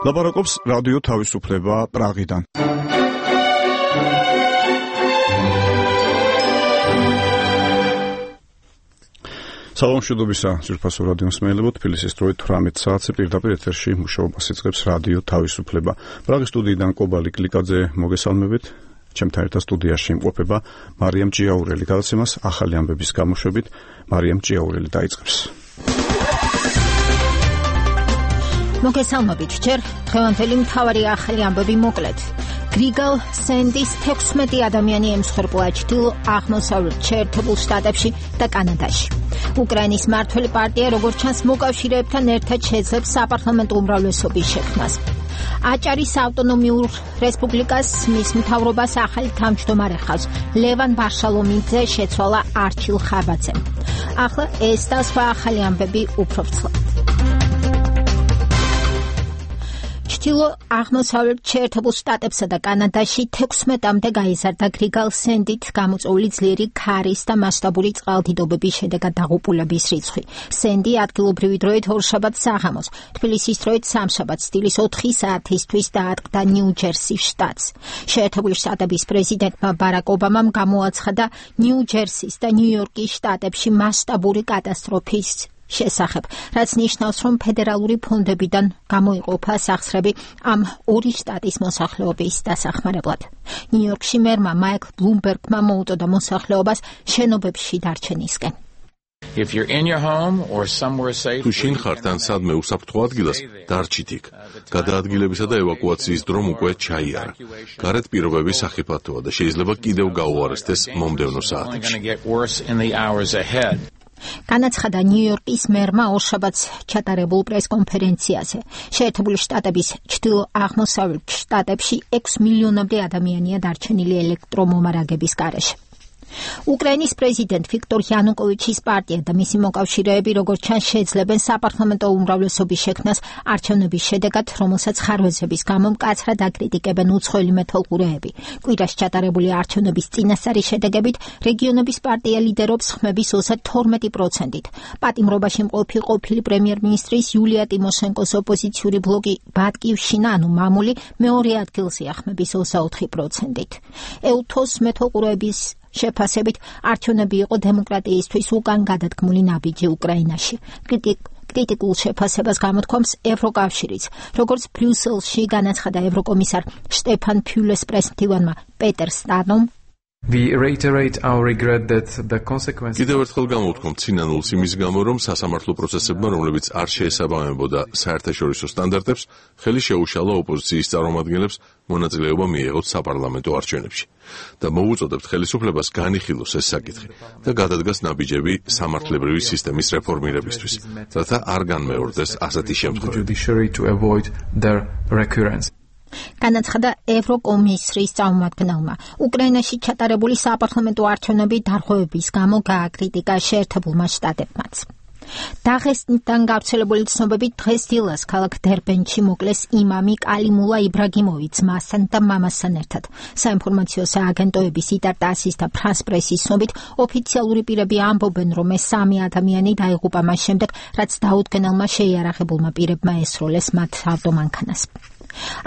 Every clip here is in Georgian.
ლაპარაკობს რადიო თავისუფლება პრაღიდან. სალამ მშვიდობისა ძვირფასო რადიო მსმენელებო, თბილისის დროით 18 საათზე პირდაპირ ეთერში მუშაობას იწყებს რადიო თავისუფლება. პრაღის სტუდიიდან კობალი კლიკაძე მოგესალმებით. ჩემთან ერთად სტუდიაში იმყოფება მარიამ ჭიაურელი. გადაცემას ახალი ამბების გამოშვებით მარიამ ჭიაურელი დაიწყებს. მოგესალმებით, ჯერ დღევანდელი მთავარი ახალი ამბები მოკლედ. გრიგალ სენდის 16 ადამიანი ემსხვერპლა ჩრდილო-აღმოსავლეთ შეერთებულ შტატებში და კანადაში. უკრაინის მმართველი პარტია, როგორც ჩანს, მოკავშირეებთან ერთად შეძლებს საპარლამენტო უმრავლესობის შექმნას. აჭარის ავტონომიურ რესპუბლიკას მის მთავრობას ახალი თავმჯდომარე ხავს. ლევან ვარშალომიძე შეცვალა არჩილ ხაბაძემ. ახლა ეს და სხვა ახალი ამბები უფრო ვრცლად. ჩრდილო-აღმოსავლეთ შეერთებულ შტატებსა და კანადაში 16-მდე გაიზარდა გრიგალ სენდით გამოწვეული ძლიერი ქარის და მასშტაბური წყალდიდობების შედეგად დაღუპულების რიცხვი. სენდი ადგილობრივი დროით ორშაბათს საღამოს, თბილისის დროით სამშაბათს დილის 4 საათისთვის დაატყდა ნიუ-ჯერსის შტატს. შეერთებული შტატების პრეზიდენტმა ბარაკ ობამამ გამოაცხადა ნიუ-ჯერსის და ნიუ-იორკის შტატებში მასშტაბური კატასტროფის შესახებ, რაც ნიშნავს, რომ ფედერალური ფონდებიდან გამოიყოფა სახსრები ამ ორი შტატის მოსახლეობის დასახმარებლად. ნიუ-იორკში მერმა მაიკლ ბლუმბერგმა მოუწოდა მოსახლეობას შენობებში დარჩენისკენ. თუ შინ ხართ ან სადმე უსაფრთხო ადგილას, დარჩით იქ. გადაადგილებისა და ევაკუაციის დრომ უკვე ჩაიარა. გარეთ პირობები სახიფათოა და შეიძლება კიდევ გაუარესდეს მომდევნო საათებში. განაცხადა ნიუ-იორკის მერმა ორშაბათს ჩატარებულ პრესკონფერენციაზე. შეერთებული შტატების ჩრდილო-აღმოსავლეთ შტატებში 6 მილიონამდე ადამიანია დარჩენილი ელექტრომომარაგების გარეშე. უკრაინის პრეზიდენტ ვიქტორ იანუკოვიჩის პარტია და მისი მოკავშირეები, როგორც ჩანს, შეძლებენ საპარლამენტო უმრავლესობის შექმნას არჩევნების შედეგად, რომელსაც ხარვეზების გამო მკაცრად აკრიტიკებენ უცხოელი მეთვალყურეები. კვირას ჩატარებული არჩევნების წინასწარი შედეგებით რეგიონების პარტია ლიდერობს ხმების 32%-ით. პატიმრობაში მყოფი ყოფილი პრემიერ-მინისტრის იულია ტიმოშენკოს ოპოზიციური ბლოკი ბატკივშინა, ანუ მამული, მეორე ადგილზეა ხმების 24%-ით. ეუთოს მეთვალყურეების შეფასებით არჩევნები იყო დემოკრატიისთვის უკან გადადგმული ნაბიჯი უკრაინაში. კრიტიკულ შეფასებას გამოთქვამს ევროკავშირიც, როგორც ბრიუსელში განაცხადა ევროკომისარ შტეფან ფიულეს პრესმდივანმა პეტერ სტანომ. კიდევ ერთხელ გამოვთქვამთ სინანულს იმის გამო, რომ სასამართლო პროცესებმა, რომლებიც არ შეესაბამებოდა საერთაშორისო სტანდარტებს, ხელი შეუშალა ოპოზიციის წარმომადგენლებს მონაწილეობა მიეღოთ საპარლამენტო არჩევნებში და მოუწოდებთ ხელისუფლებას განიხილოს ეს საკითხი და გადადგას ნაბიჯები სამართლებრივი სისტემის რეფორმირებისთვის, რათა არ განმეორდეს ასეთი შემთხვევები. განაცხადა ევროკომისრის წარმომადგენელმა. უკრაინაში ჩატარებული საპარლამენტო არჩევნები დარღვევების გამო გააკრიტიკა შეერთებულმა შტატებმაც. დაღესტნიდან გავრცელებული ცნობებით დღეს დილას ქალაქ დერბენში მოკლეს იმამი კალიმულა იბრაგიმოვი ძმასთან და მამასთან ერთად. საინფორმაციო სააგენტოების იტარტასის და ფრანს პრესის ცნობით ოფიციალური პირები ამბობენ, რომ ეს 3 ადამიანი დაიღუპა მას შემდეგ, რაც დაუდგენელმა შეიარაღებულმა პირებმა ესროლეს მათ ავტომანქანას.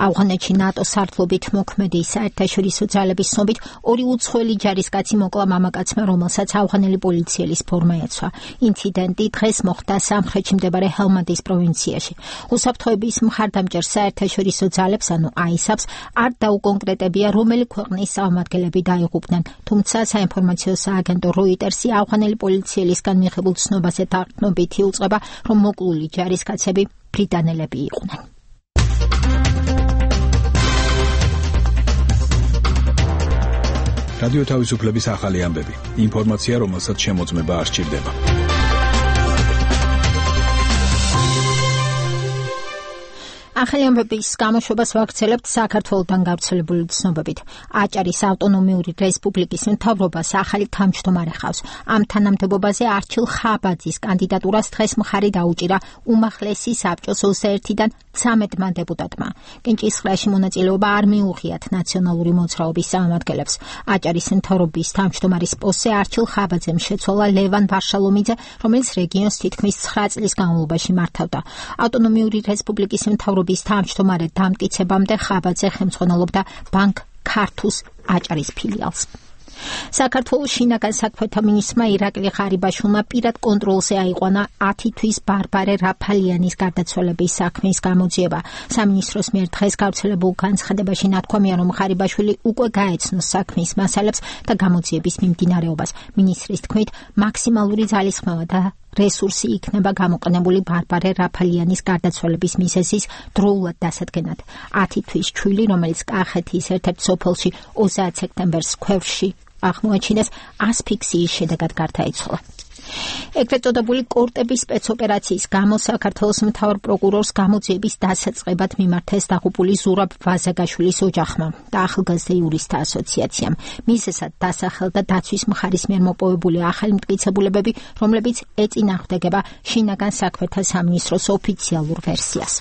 ავღანეთში ნატოს სარდლობით მოქმედი საერთაშორისო ძალების ცნობით 2 უცხოელი ჯარისკაცი მოკლა მამაკაცმა, რომელსაც ავღანელი პოლიციელის ფორმა ეცვა. ინციდენტი დღეს მოხდა სამხრეთში მდებარე ჰელმანდის პროვინციაში. უსაფრთხოების მხარდამჭერ საერთაშორისო ძალებს, ანუ ISAF-ს, არ დაუკონკრეტებია, რომელი ქვეყნის წარმომადგენლები დაიღუპნენ, თუმცა საინფორმაციო სააგენტო როიტერსი ავღანელი პოლიციელისგან მიღებულ ცნობაზე დაყრდნობითი უწყება, რომ მოკლული ჯარისკაცები ბრიტანელები იყვნენ. რადიო თავისუფლების ახალი ამბები. ინფორმაცია, რომელსაც შემოწმება არ სჭირდება. ახალი ამბების გამოშვებას ვაგრძელებთ საქართველოდან გავრცელებული ცნობებით. აჭარის ავტონომიური რესპუბლიკის მთავრობას ახალი თავმჯდომარე ხავს. ამ თანამდებობაზე არჩილ ხაბაძის კანდიდატურას დღეს მხარი დაუჭირა უმაღლესი საბჭოს 21-დან 13-მა დეპუტატმა. კენჭისყრაში მონაწილეობა არ მიუღიათ ნაციონალური მოძრაობის წარმომადგენლებს. აჭარის მთავრობის თავმჯდომარის პოსტზე არჩილ ხაბაძემ შეცვალა ლევან ვარშალომიძე, რომელიც რეგიონს თითქმის 9 წლის განმავლობაში მართავდა. ავტონომიური რესპუბლიკის მთავრობის მთავრობის თავმჯდომარედ დამტკიცებამდე ხაბაძე ხელმძღვანელობდა ბანკ ქართუს აჭარის ფილიალს. საქართველოს შინაგან საქმეთა მინისტრმა ირაკლი ღარიბაშვილმა პირად კონტროლზე აიყვანა 10 თვის ბარბარე რაფალიანის გარდაცვალების საქმის გამოძიება. სამინისტროს მიერ დღეს გავრცელებულ განცხადებაში ნათქვამია, რომ ღარიბაშვილი უკვე გაეცნოს საქმის მასალებს და გამოძიების მიმდინარეობას. მინისტრის თქმით, მაქსიმალური ძალისხმევა და რესურსი იქნება გამოყენებული ბარბარე რაფალიანის გარდაცვალების მიზეზის დროულად დასადგენად. 10 თვის ჩვილი, რომელიც კახეთის ერთ-ერთ სოფელში 30 სექტემბერს ქვევრში აღმოაჩინეს, ასფიქსიის შედეგად გარდაიცვალა. ეგრეთ წოდებული კორტების სპეცოპერაციის გამო საქართველოს მთავარ პროკურორს გამოძიების დასაწყებად მიმართეს დაღუპული ზურაბ ვაზაგაშვილის ოჯახმა და ახალგაზრდა იურისტთა ასოციაციამ. მიზეზად დასახელდა დაცვის მხარის მიერ მოპოვებული ახალი მტკიცებულებები, რომლებიც ეწინააღმდეგება შინაგან საქმეთა სამინისტროს ოფიციალურ ვერსიას.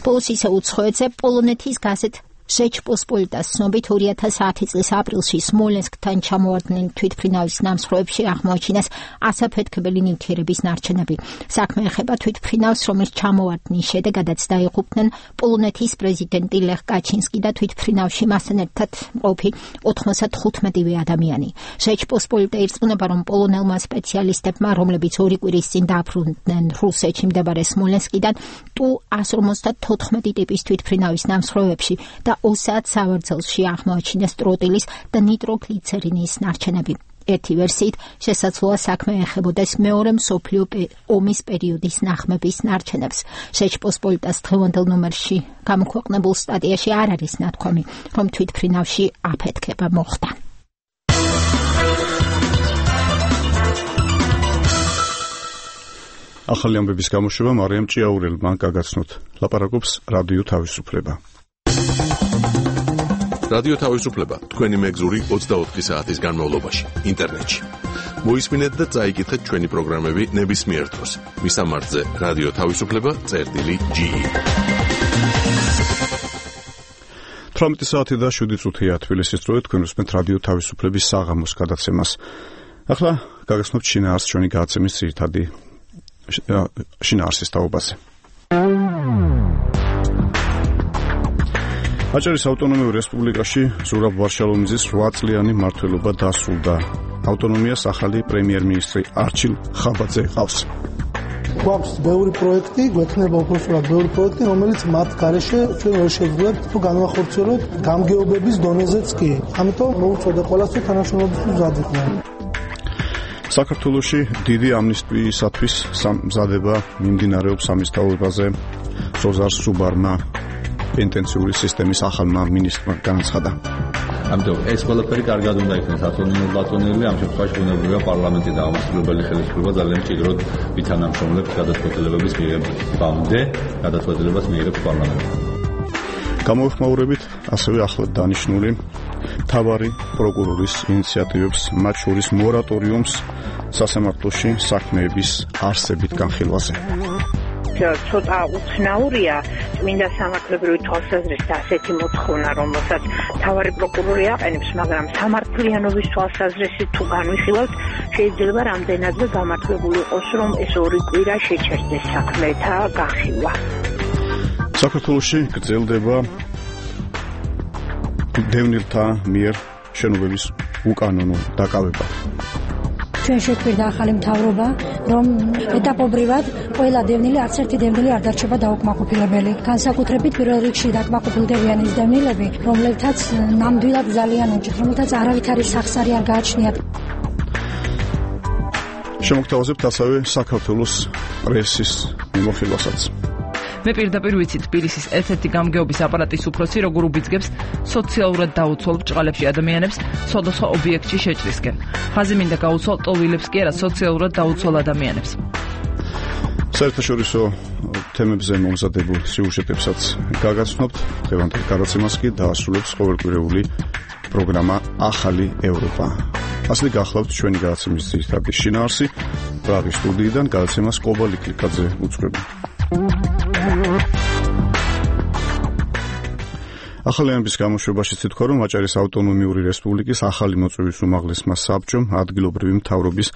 ბოლოს ისე უცხოეთზე პოლონეთის გაზეთ ჟეჩპოსპოლიტას ცნობით 2010 წლის აპრილში სმოლენსკთან ჩამოვარდნილ თვითმფრინავის ნამსხვრევებში აღმოაჩინეს ასაფეთქებელი ნივთიერების ნარჩენები. საქმე ეხება თვითმფრინავს, რომელიც ჩამოვარდნის შედეგადაც დაიღუპნენ პოლონეთის პრეზიდენტი ლეხ კაჩინსკი და თვითმფრინავში მასთან ერთად მყოფი 95-ვე ადამიანი. ჟეჩპოსპოლიტა ირწმუნება, რომ პოლონელმა სპეციალისტებმა, რომლებიც 2 კვირის წინ დაბრუნდნენ რუსეთში მდებარე სმოლენსკიდან, Tu-154 ტიპის თვითმფრინავის ნამსხვრევებში და ოსად სავარძელში აღმოაჩინეს ტროტილის და ნიტროგლიცერინის ნარჩენები. ერთი ვერსიით შესაძლოა საქმე ეხებოდეს მეორე მსოფლიო ომის პერიოდის ნახმების ნარჩენებს. ჟეჩპოსპოლიტას დღევანდელ ნომერში გამოქვეყნებულ სტატიაში არ არის ნათქვამი, რომ თვითმფრინავში აფეთქება მოხდა. ახალი ამბების გამოშვება მარიამ ჭიაურელმა გაგაცნოთ. ლაპარაკობს რადიო თავისუფლება. რადიო თავისუფლება თქვენი მეგზური 24 საათის განმავლობაში ინტერნეტში. მოისმინეთ და წაიკითხეთ ჩვენი პროგრამები ნებისმიერ დროს. მისამართზე რადიო თავისუფლება.ge 18 საათი და 7 წუთია თბილისის დროით, თქვენ უსმენთ რადიო თავისუფლების საღამოს გადაცემას. ახლა გაგაცნობთ შინაარსს ჩვენი გადაცემის ძირითადი შინაარსის თაობაზე. აჭარის ავტონომიურ რესპუბლიკაში ზურაბ ვარშალომიძის 8 წლიანი მმართველობა დასრულდა. ავტონომიას ახალი პრემიერ-მინისტრი არჩილ ხაბაძე ყავს. გვაქვს ბევრი პროექტი, გვექნება უბრალოდ ბევრი პროექტი, რომელიც მათ გარეშე ჩვენ ვერ შევძლებთ თუ განვახორციელოთ გამგეობების დონეზეც კი. ამიტომ მოუწოდე ყველას თუ თანამშრომლობისთვის მზად იყვნენ. საქართველოში დიდი ამნისტიისათვის მზადება მიმდინარეობს სამისთავრობაზე. სოზარ სუბარმა პენტენციური სისტემის ახალმა მინისტრმა განაცხადა. ამიტომ ეს ყველაფერი კარგად უნდა იქნეს ათონილ-ბატონილი, ამ შემთხვევაში ბუნებრივია პარლამენტი და ამასწავლებელი ხელისუფლება ძალიან ჭიროდ ვითანამშრომლებს გადაწყვეტილებების მიღებამდე, გადაწყვეტილებას მიიღებს პარლამენტი. გამოეხმაურებით ასევე ახლად დანიშნული მთავარი პროკურორის ინიციატივებს, მათ შორის მორატორიუმს სასამართლოში საქმეების არსებით განხილვაზე. ცოტა უცნაურია წმინდა სამართლებრივი თვალსაზრისით ასეთი მოთხოვნა, რომელსაც მთავარი პროკურორი აყენებს, მაგრამ სამართლიანობის თვალსაზრისით თუ განვიხილავთ, შეიძლება რამდენადმე გამართლებული იყოს, რომ ეს 2 კვირა შეჩერდეს საქმეთა განხილვა. საქართველოში გრძელდება დევნილთა მიერ შენობების უკანონო დაკავება. ჩვენ შეგვირდა ახალი მთავრობა, რომ ეტაპობრივად ყველა დევნილი, არც ერთი დევნილი არ დარჩება დაუკმაყოფილებელი. განსაკუთრებით პირველ რიგში დაკმაყოფილდებიან ის დევნილები, რომლებთაც ნამდვილად ძალიან უჭირთ, რომელთაც არავითარი სახსარი არ გააჩნიათ. შემოგთავაზებთ ასევე საქართველოს პრესის მიმოხილვასაც. მე პირდაპირ ვიცი თბილისის ერთ-ერთი გამგეობის აპარატის უფროსი როგორ უბიძგებს სოციალურად დაუცველ ბრჭყალებში ადამიანებს სხვადასხვა ობიექტში შეჭრისკენ. ხაზი მინდა გაუცვალ ტოლვილებს კი არა, სოციალურად დაუცველ ადამიანებს. საერთაშორისო თემებზე მომზადებულ სიუჟეტებსაც გაგაცნობთ. დღევანდელ გადაცემას კი დაასრულებს ყოველკვირეული პროგრამა ახალი ევროპა. ასეთი გახლავთ ჩვენი გადაცემის ძირითადი შინაარსი. პრაღის სტუდიიდან გადაცემას კობალი კლიკაძე უძღვება. ახალი ამბის გამოშვებაში თვითონ რომ აჭარის ავტონომიური რესპუბლიკის ახალი მოწვევის უმაღლესმა საბჭომ ადგილობრივი მთავრობის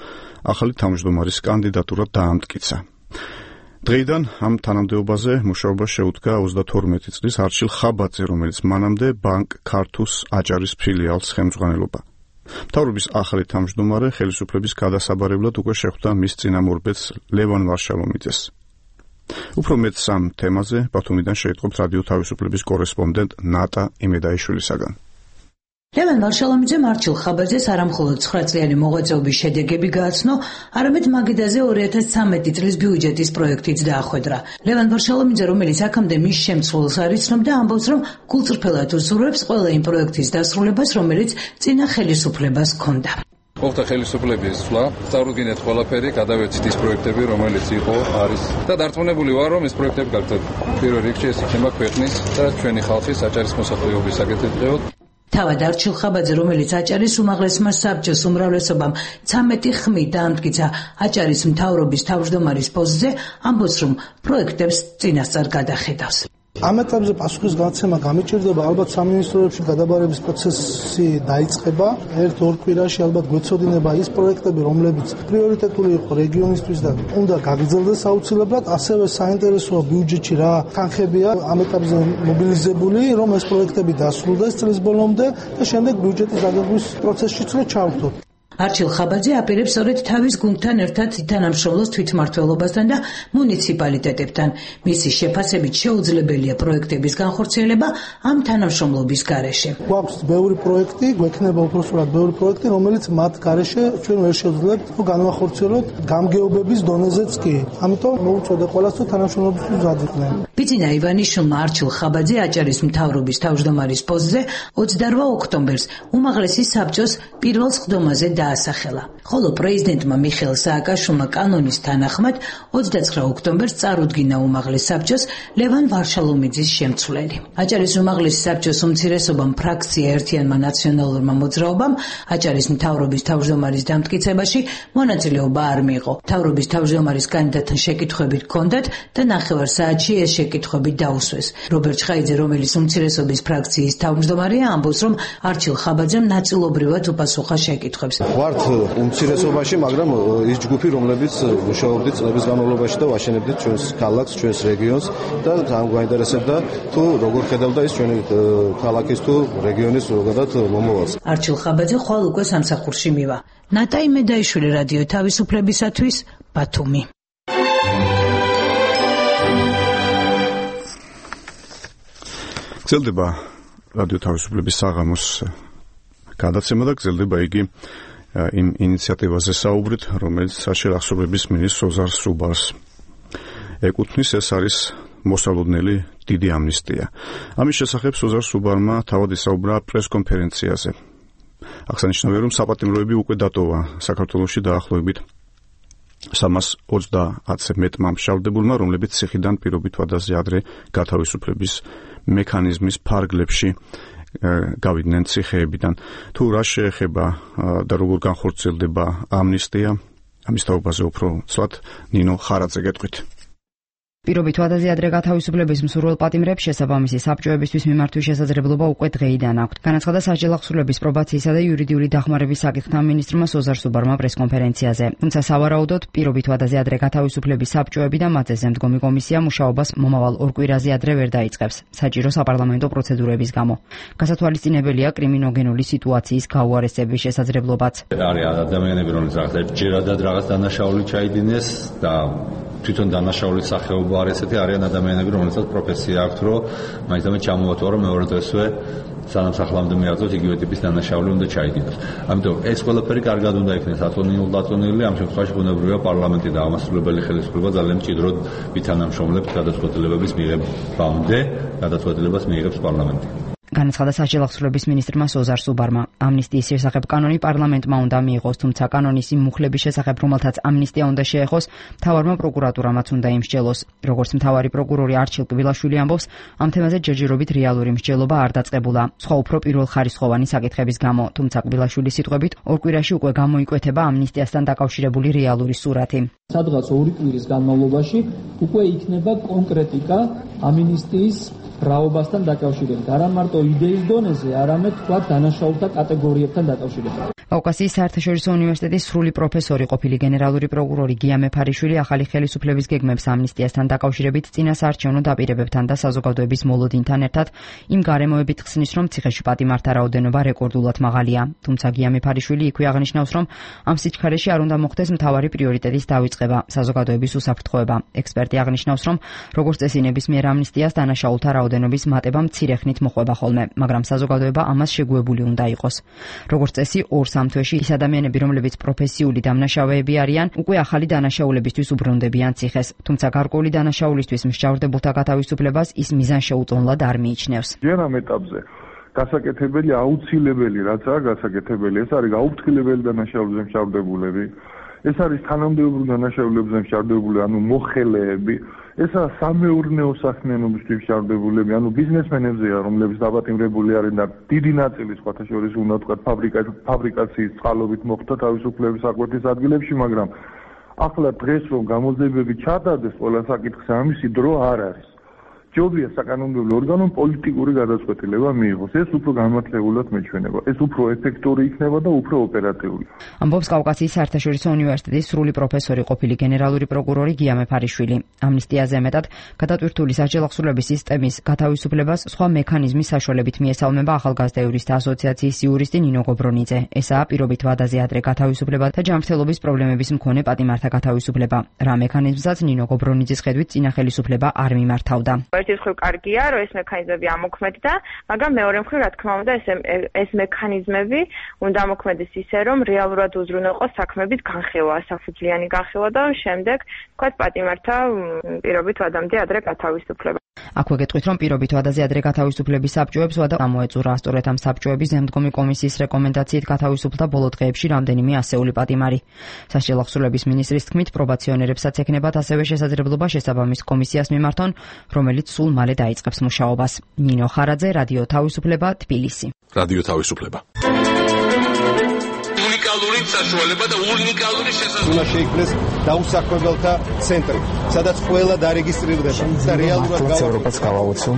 ახალი თავმჯდომარის კანდიდატურა დაამტკიცა. დღეიდან ამ თანამდებობაზე მუშაობა შეუდგა 32 წლის არჩილ ხაბაძე, რომელიც მანამდე ბანკ ქართუს აჭარის ფილიალს ხელმძღვანელობა. მთავრობის ახალი თავმჯდომარე ხელისუფლების გადასაბარებლად უკვე შეხვდა მის წინამორბედს ლევან ვარშალომიძეს. უფრო მეტს ამ თემაზე ბათუმიდან შეიტყობს რადიო თავისუფლების კორესპონდენტ ნატა იმედაიშვილისაგან. ლევან ვარშალომიძემ არჩილ ხაბაძეს არამხოლოდ 9 წლიანი მოღვაწეობის შედეგები გააცნო, არამედ მაგიდაზე 2013 წლის ბიუჯეტის პროექტიც დაახვედრა. ლევან ვარშალომიძე, რომელიც აქამდე მის შემცველს არ იცნობდა, ამბობს, რომ გულწრფელად უსურვებს ყველა იმ პროექტის დასრულებას, რომელიც წინა ხელისუფლებას ჰქონდა. მოხდა ხელისუფლების ცვლა, წარუდგინეთ ყველაფერი, გადავეცით ის პროექტები, რომელიც იყო, არის და დარწმუნებული ვარ, რომ ეს პროექტები გაგრძელდება. პირველ რიგში ეს იქნება ქვეყნის და ჩვენი ხალხის აჭარის მოსახლეობის საკეთილდღეოდ. თავად არჩილ ხაბაძე, რომელიც აჭარის უმაღლესმა საბჭოს უმრავლესობამ 13 ხმით დაამტკიცა აჭარის მთავრობის თავმჯდომარის პოსტზე, ამბობს, რომ პროექტებს წინასწარ გადახედავს. ამ ეტაპზე პასუხის განცემა გამიჭირდება, ალბათ სამინისტროებში გადაბარების პროცესი დაიწყება. 1-2 კვირაში ალბათ გვეცოდინება ის პროექტები, რომლებიც პრიორიტეტული იყო რეგიონისთვის და უნდა გაგრძელდეს აუცილებლად. ასევე საინტერესოა ბიუჯეტში რა თანხებია ამ ეტაპზე მობილიზებული, რომ ეს პროექტები დასრულდეს წლის ბოლომდე და შემდეგ ბიუჯეტის დაგეგმვის პროცესშიც ჩავთვალოთ. არჩილ ხაბაძე აპირებს სწორედ თავის გუნდთან ერთად თანამშრომლოს თვითმმართველობასთან და მუნიციპალიტეტებთან. მისი შეფასებით შეუძლებელია პროექტების განხორციელება ამ თანამშრომლობის გარეშე. გვაქვს ბევრი პროექტი, გვექნება უпроსტად ბევრი პროექტი, რომელიც მათ გარეშე ჩვენ ვერ შევძლებთ განვახორციელოთ გამგეობების დონეზეც კი. ამიტომ მოუწოდე ყველას თუ თანამშრომლობისთვის ზრდიდნენ. ბიძინა ივანიშვილმა არჩილ ხაბაძე აჭარის მთავრობის თავმჯდომარის პოსტზე 28 ოქტომბერს უმაღლესი საბჭოს პირველ სხდომაზე დაასახელა. ხოლო პრეზიდენტმა მიხეილ სააკაშვილმა კანონის თანახმად 29 ოქტომბერს წარუდგინა უმაღლეს საბჭოს ლევან ვარშალომიძის შემცვლელი. აჭარის უმაღლესი საბჭოს უმცირესობამ ფრაქცია ერთიანმა ნაციონალურმა მოძრაობამ აჭარის მთავრობის თავმჯდომარის დამტკიცებაში მონაწილეობა არ მიიღო. მთავრობის თავმჯდომარის კანდიდატთან შეკითხვები ჰქონდათ და 9 საათში ეს შეკითხვები დაუსვეს. რობერტ ჩხაიძე, რომელიც უმცირესობის ფრაქციის თავმჯდომარეა, ამბობს, რომ არჩილ ხაბაძემ ნაწილობრივად უპასუხა შეკითხვებს. ვართ უმცირესობაში, მაგრამ ის ჯგუფი, რომლებიც მუშაობდით წლების განმავლობაში და ვაშენებდით ჩვენს ქალაქს, ჩვენს რეგიონს და ამ გვაინტერესებდა თუ როგორ ხედავდა ის ჩვენი ქალაქის თუ რეგიონის ზოგადად მომავალს. არჩილ ხაბაძე ხვალ უკვე სამსახურში მივა. ნატა იმედაიშვილი, რადიო თავისუფლებისათვის, ბათუმი. გრძელდება რადიო თავისუფლების საღამოს გადაცემა და გრძელდება იგი იმ ინიციატივაზე საუბრით, რომელიც საშერახსოვრების მინისტრ ოზარ სუბარს ეკუთვნის. ეს არის მოსალოდნელი დიდი ამნისტია. ამის შესახებ ოზარ სუბარმა თავად ისაუბრა პრესკონფერენციაზე. აღსანიშნავია, რომ საპატიმროები უკვე დატოვა საქართველოში დაახლოებით 320 მეტმა მშავდებულმა, რომლებიც ციხიდან პირობით ვადაზე ადრე გათავისუფლების მექანიზმის ფარგლებში გავიდნენ ციხეებიდან. თუ რა შეეხება და როგორ განხორციელდება ამნისტია, ამის თაობაზე უფრო ცლად ნინო ხარაძე გეტყვით. პირობით ვადაზე ადრე გათავისუფლების მსურველ პატიმრებს შესაბამისი საბჭოებისთვის მიმართვის შესაძლებლობა უკვე დღეიდან აქვთ. განაცხადა სასჯელ აღსრულების პრობაციისა და იურიდიული დახმარების საკითხთა მინისტრმა ოზარ სუბარმა პრესკონფერენციაზე. თუმცა სავარაუდოდ პირობით ვადაზე ადრე გათავისუფლების საბჭოები და მათზე ზემდგომი კომისია მუშაობას მომავალ 2 კვირაზე ადრე ვერ დაიწყებს საჭირო საპარლამენტო პროცედურების გამო. გასათვალისწინებელია კრიმინოგენული სიტუაციის გაუარესების შესაძლებლობაც. არის ადამიანები, რომლებიც ჯერადად რაღაც დანაშაული ჩაიდინეს და თვითონ დანაშაულის სახეობა არ ესეთი არიან ადამიანები, რომელსაც პროფესია აქვთ, რომ მაინც ჩამოვათვალა, რომ მეორე დღესვე სანამ სახლამდე მიაღწევთ იგივე ტიპის დანაშაული უნდა ჩაიდინოს. ამიტომ ეს ყველაფერი კარგად უნდა იქნეს აწონილი, ამ შემთხვევაში ბუნებრივია პარლამენტი და ამასრულებელი ხელისუფლება ძალიან მჭიდროდ ვითანამშრომლებთ გადაწყვეტილებების მიღებამდე, გადაწყვეტილებას მიიღებს პარლამენტი. განაცხადა სასჯელ აღსრულების მინისტრმა ოზარ სუბარმა. ამნისტიის შესახებ კანონი პარლამენტმა უნდა მიიღოს, თუმცა კანონის იმ მუხლების შესახებ, რომელთაც ამნისტია უნდა შეეხოს, მთავარმა პროკურატურამაც უნდა იმსჯელოს. როგორც მთავარი პროკურორი არჩილ კბილაშვილი ამბობს, ამ თემაზე ჯერჯერობით რეალური მსჯელობა არ დაწყებულა, სხვა უფრო პირველხარისხოვანი საკითხების გამო, თუმცა კბილაშვილის სიტყვებით 2 კვირაში უკვე გამოიკვეთება ამნისტიასთან დაკავშირებული რეალური სურათი. სადღაც 2 კვირის განმავლობაში უკვე იქნება კონკრეტიკა ამნისტიის რაობასთან დაკავშირებით. არა მარტო იდეის დონეზე, არამედ თქვა დანაშაულთა კატეგორიებთან დაკავშირებით. კავკასიის საერთაშორისო უნივერსიტეტის სრული პროფესორი, ყოფილი გენერალური პროკურორი გია მეფარიშვილი ახალი ხელისუფლების გეგმებს ამნისტიასთან დაკავშირებით წინა საარჩევნო დაპირებებთან და საზოგადოების მოლოდინთან ერთად იმ გარემოებით ხსნის, რომ ციხეში პატიმართა რაოდენობა რეკორდულად მაღალია. თუმცა გია მეფარიშვილი იქვე აღნიშნავს, რომ ამ სიჩქარეში არ უნდა მოხდეს მთავარი პრიორიტეტის დავიწყება, საზოგადოების უსაფრთხოება. ექსპერტი აღნიშნავს, რომ როგორც წესი ნებისმიერ ამნისტიას დანაშაულთა რაოდენობის მატება მცირე ხნით მოხვება ხოლმე, მაგრამ საზოგადოება ამას შეგუებული უნდა იყოს. როგორც წესი 2-3 თვეში ის ადამიანები, რომლებიც პროფესიული დამნაშავეები არიან, უკვე ახალი დანაშაულებისთვის უბრუნდებიან ციხეს. თუმცა გარკვეული დანაშაულისთვის მსჯავრდებულთა გათავისუფლებას ის მიზანშეუწონლად არ მიიჩნევს. ჯერ ამ ეტაპზე გასაკეთებელი აუცილებელი, რაც არის გასაკეთებელი, ეს არის გაუფრთხილებელი დანაშაულებზე მსჯავრდებულები. ეს არის თანამდებობრივ დანაშაულებზე მსჯავრდებული, ანუ მოხელეები, ესა სამეურნეო საქმიანობისთვის მსჯავრდებულები, ანუ ბიზნესმენებზეა, რომლებიც დაპატიმრებული არიან და დიდი ნაწილი სხვათა შორის უნდა ვთქვათ ფაბრიკაციის წყალობით მოხდა თავისუფლების აკვეთის ადგილებში, მაგრამ ახლა დღეს რომ გამოძიებები ჩატარდეს, ყველა საკითხზე ამისი დრო არ არის. ჯობია საკანონმდებლო ორგანომ პოლიტიკური გადაწყვეტილება მიიღოს. ეს უფრო განმართლებულად მეჩვენება. ეს უფრო ეფექტური იქნება და უფრო ოპერატიული. ამბობს კავკასიის საერთაშორისო უნივერსიტეტის სრული პროფესორი, ყოფილი გენერალური პროკურორი გია მეფარიშვილი. ამნისტიაზე მეტად გადატვირთული საჯელახსოვრების სისტემის გათავისუფლებას სხვა მექანიზმის საშუალებით მიესალმება ახალგაზრდა იურისტთა ასოციაციის იურისტი ნინო გობრონიძე. ესაა პირობით ვადაზე ადრე გათავისუფლება და ჯანმრთელობის პრობლემების მქონე პატიმართა გათავისუფლება. რა მექანიზმსაც ნინო გობრონიძის ხედვით წინა ხელისუფლება არ მიმართავდა. ერთი მხრივ კარგია, რომ ეს მექანიზმები ამოქმედდა, მაგრამ მეორე მხრივ, რა თქმა უნდა, ეს მექანიზმები უნდა ამოქმედდეს ისე, რომ რეალურად უზრუნველყოს საქმეებით განხილვა, საფუძვლიანი განხილვა და შემდეგ, ვთქვათ, პატიმართა პირობით ვადამდე ადრე გათავისუფლება. აქვე გეტყვით, რომ პირობით ვადაზე ადრე გათავისუფლების საბჭოებს ვადა გამოეწურა. სწორედ ამ საბჭოების ზემდგომი კომისიის რეკომენდაციით გათავისუფლდა ბოლო დღეებში რამდენიმე ასეული პატიმარი. სასჯელახსოვრების მინისტრის თქმით, პრობაციონერებსაც ექნებათ ასევე შესაძლებლობა შესაბამის კომისიას მიმართონ, რომელიც სულ მალე დაიწყებს მუშაობას. ნინო ხარაძე, რადიო თავისუფლება, თბილისი. რადიო თავისუფლება. უნიკალური საშუალება და უნიკალური შესაძლებლობა შეიქმნეს დაუსაქმებელთა ცენტრი, სადაც ყველა დარეგისტრირდება და რეალურად ევროპას გავაოცო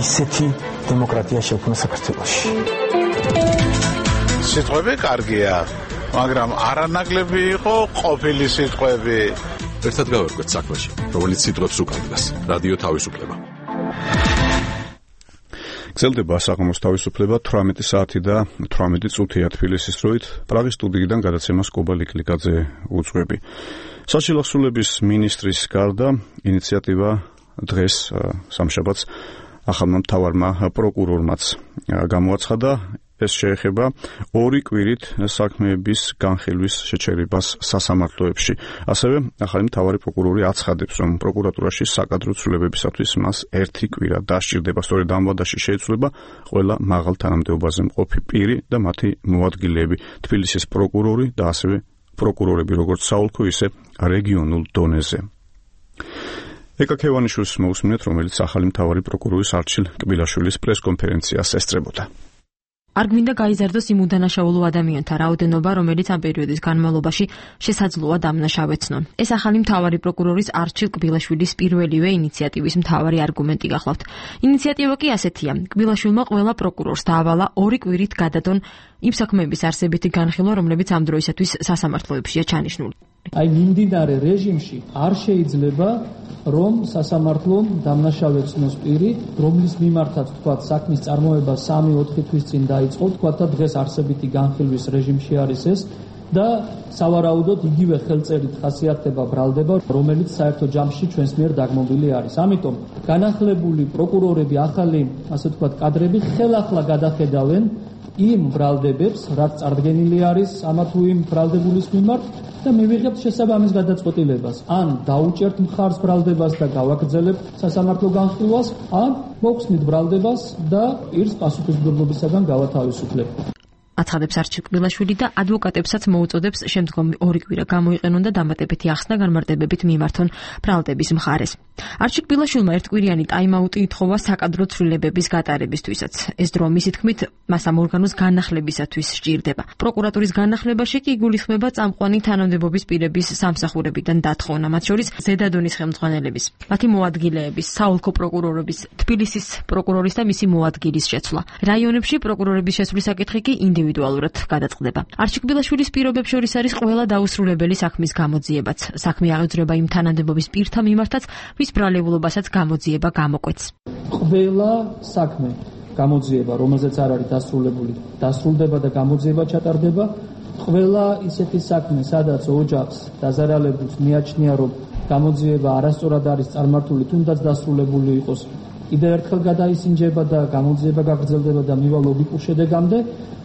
ისეთი დემოკრატია შექმნა საქართველოში. სიტყვები კარგია, მაგრამ არანაკლები იყო ყოფილი სიტყვები. ერთად გავერკვეთ საქმეში, რომელიც სიტყვებს უკავშირდება. რადიო თავისუფლება. გრძელდება საღამოს თავისუფლება 18 საათი და 18 წუთია თბილისის დროით. პრაღის სტუდიიდან გადაცემას კობა ლიკლიკაძე უძღვები. სასჯელახსოვრების მინისტრის გარდა ინიციატივა დღეს სამშაბათს ახალმა მთავარმა პროკურორმაც გამოაცხადა. ეს შეეხება 2 კვირით საქმეების განხილვის შეჩერებას სასამართლოებში. ასევე ახალი მთავარი პროკურორი აცხადებს, რომ პროკურატურაში საკადრო ცვლილებებისათვის მას 1 კვირა დასჭირდება. სწორედ ამ ვადაში შეიცვლება ყველა მაღალ თანამდებობაზე მყოფი პირი და მათი მოადგილეები, თბილისის პროკურორი და ასევე პროკურორები, როგორც საოლქო, ისე რეგიონულ დონეზე. ეკა ქევანიშვილს მოусმინეთ, რომელიც ახალი მთავარი პროკურორის არჩილ კბილაშვილის პრესკონფერენციას ესწრებოდა. არ გვინდა გაიზარდოს იმ უდანაშაულო ადამიანთა რაოდენობა, რომელიც ამ პერიოდის განმავლობაში შესაძლოა დამნაშავეცნონ. ეს ახალი მთავარი პროკურორის არჩილ კბილაშვილის პირველივე ინიციატივის მთავარი არგუმენტი გახლავთ. ინიციატივა კი ასეთია: კბილაშვილმა ყველა პროკურორს დაავალა 2 კვირით გადადონ იმ საქმეების არსებითი განხილვა, რომლებიც ამ დროისათვის სასამართლოებშია ჩანიშნული. აი მიმდინარე რეჟიმში არ შეიძლება რომ სასამართლომ დამნაშავეცნოს პირი, რომლის მიმართაც თქვა საქმის წარმოება 3-4 თვის წინ დაიწყო, თქვა და დღეს არსებითი განხილვის რეჟიმში არის ეს და სავარაუდოდ იგივე ხელწერით ხასიათდება ბრალდება, რომელიც საერთო ჯამში ჩვენს მიერ დაგმობილი არის. ამიტომ განახლებული პროკურორები, ახალი, ასე ვთქვათ, კადრები ხელახლა გადახედავენ იმ ბრალდებებს, რაც წარდგენილი არის ამა თუ იმ ბრალდებულის მიმართ და მივიღებთ შესაბამის გადაწყვეტილებას. ან დაუჭერთ მხარს ბრალდებას და გავაგრძელებთ სასამართლო განხილვას, ან მოვხსნით ბრალდებას და პირს პასუხისმგებლობისაგან გავათავისუფლებთ. აცხადებს არჩილ კბილაშვილი და ადვოკატებსაც მოუწოდებს შემდგომი 2 კვირა გამოიყენონ და დამატებითი ახსნა განმარტებებით მიმართონ ბრალდების მხარეს. არჩილ კბილაშვილმა 1 კვირიანი ტაიმაუტი ითხოვა საკადრო ცვლილებების გატარებისთვისაც. ეს დრო მისი თქმით მას ამ ორგანოს განახლებისათვის სჭირდება. პროკურატურის განახლებაში კი იგულისხმება წამყვანი თანამდებობის პირების სამსახურებიდან დათხოვნა, მათ შორის ზედადონის ხელმძღვანელების, მათი მოადგილეების, საოლქო პროკურორების, თბილისის პროკურორის და მისი მოადგილის შეცვლა. რაიონებში პროკურორების შესვლის საკითხი კი ინდივიდუალურად ინდივიდუალურად გადაწყდება. არჩილ ბილაშვილის პირობებს შორის არის ყველა დაუსრულებელი საქმის გამოძიებაც. საქმე აღიძვრება იმ თანამდებობის პირთა მიმართაც, ვის ბრალეულობასაც გამოძიება გამოკვეთს. ყველა საქმე გამოძიება, რომელზეც არ არის დასრულებული, დასრულდება და გამოძიება ჩატარდება. ყველა ისეთი საქმე, სადაც ოჯახს დაზარალებულს მიაჩნია, რომ გამოძიება არასწორად არის წარმართული, თუნდაც დასრულებული იყოს, კიდევ ერთხელ გადაისინჯება და გამოძიება გაგრძელდება და მივა ლოგიკურ შედეგამდე.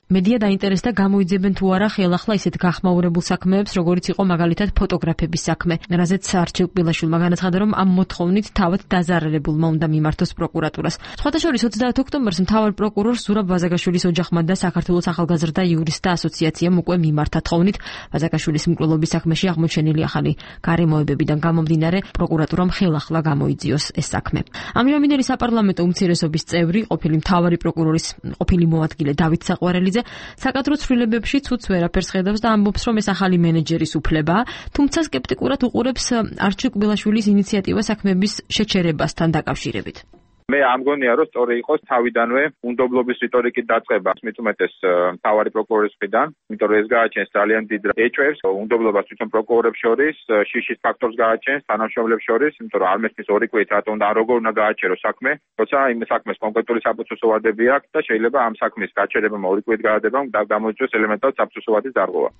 მედია დაინტერესდა გამოიძებენ თუ არა ხელახლა ისეთ გახმაურებულ საქმეებს, როგორიც იყო მაგალითად ფოტოგრაფების საქმე, რაზეც არჩილ ბილაშვილმა განაცხადა, რომ ამ მოთხოვნით თავად დაზარალებულმა უნდა მიმართოს პროკურატურას. სხვათა შორის 30 ოქტომბერს მთავარ პროკურორ ზურაბ ვაზაგაშვილის ოჯახმა და საქართველოს ახალგაზრდა იურისტთა ასოციაციამ უკვე მიმართა თხოვნით ვაზაგაშვილის მკვლელობის საქმეში აღმოჩენილი ახალი გარემოებებიდან გამომდინარე პროკურატურამ ხელახლა გამოიძიოს ეს საქმე. ამჟამინდელი საპარლამენტო უმცირესობის წევრი, ყოფილი მთავარი პროკურორის ყოფილი მოადგილე დავით საყვარელიძე საკადრო ცვლილებებში ცუც ვერაფერს ხედავს და ამბობს, რომ ეს ახალი მენეჯერის უფლებაა, თუმცა სკეპტიკურად უყურებს არჩილ ბილაშვილის ინიციატივა საქმების შეჩერებასთან დაკავშირებით. მე ამგონია, რომ სწორი იყოს თავიდანვე უნდობლობის რიტორიკით დაწყება, მით უმეტეს მთავარი პროკურორის მხრიდან, იმიტომ რომ ეს გააჩენს ძალიან დიდ ეჭვებს უნდობლობას თვითონ პროკურორებს შორის, შიშის ფაქტორს გააჩენს თანამშრომლებს შორის, იმიტომ რომ არ მესმის ორი კვირით რატომ და როგორ უნდა გააჩეროს საქმე, როცა იმ საქმეს კონკრეტული საფუძვლო ვადები აქვს და შეიძლება ამ საქმის გაჩერებამ ორი კვირით გადადებამ და გამოიწვიოს ელემენტად საფუძვლო ვადის დარღვევა.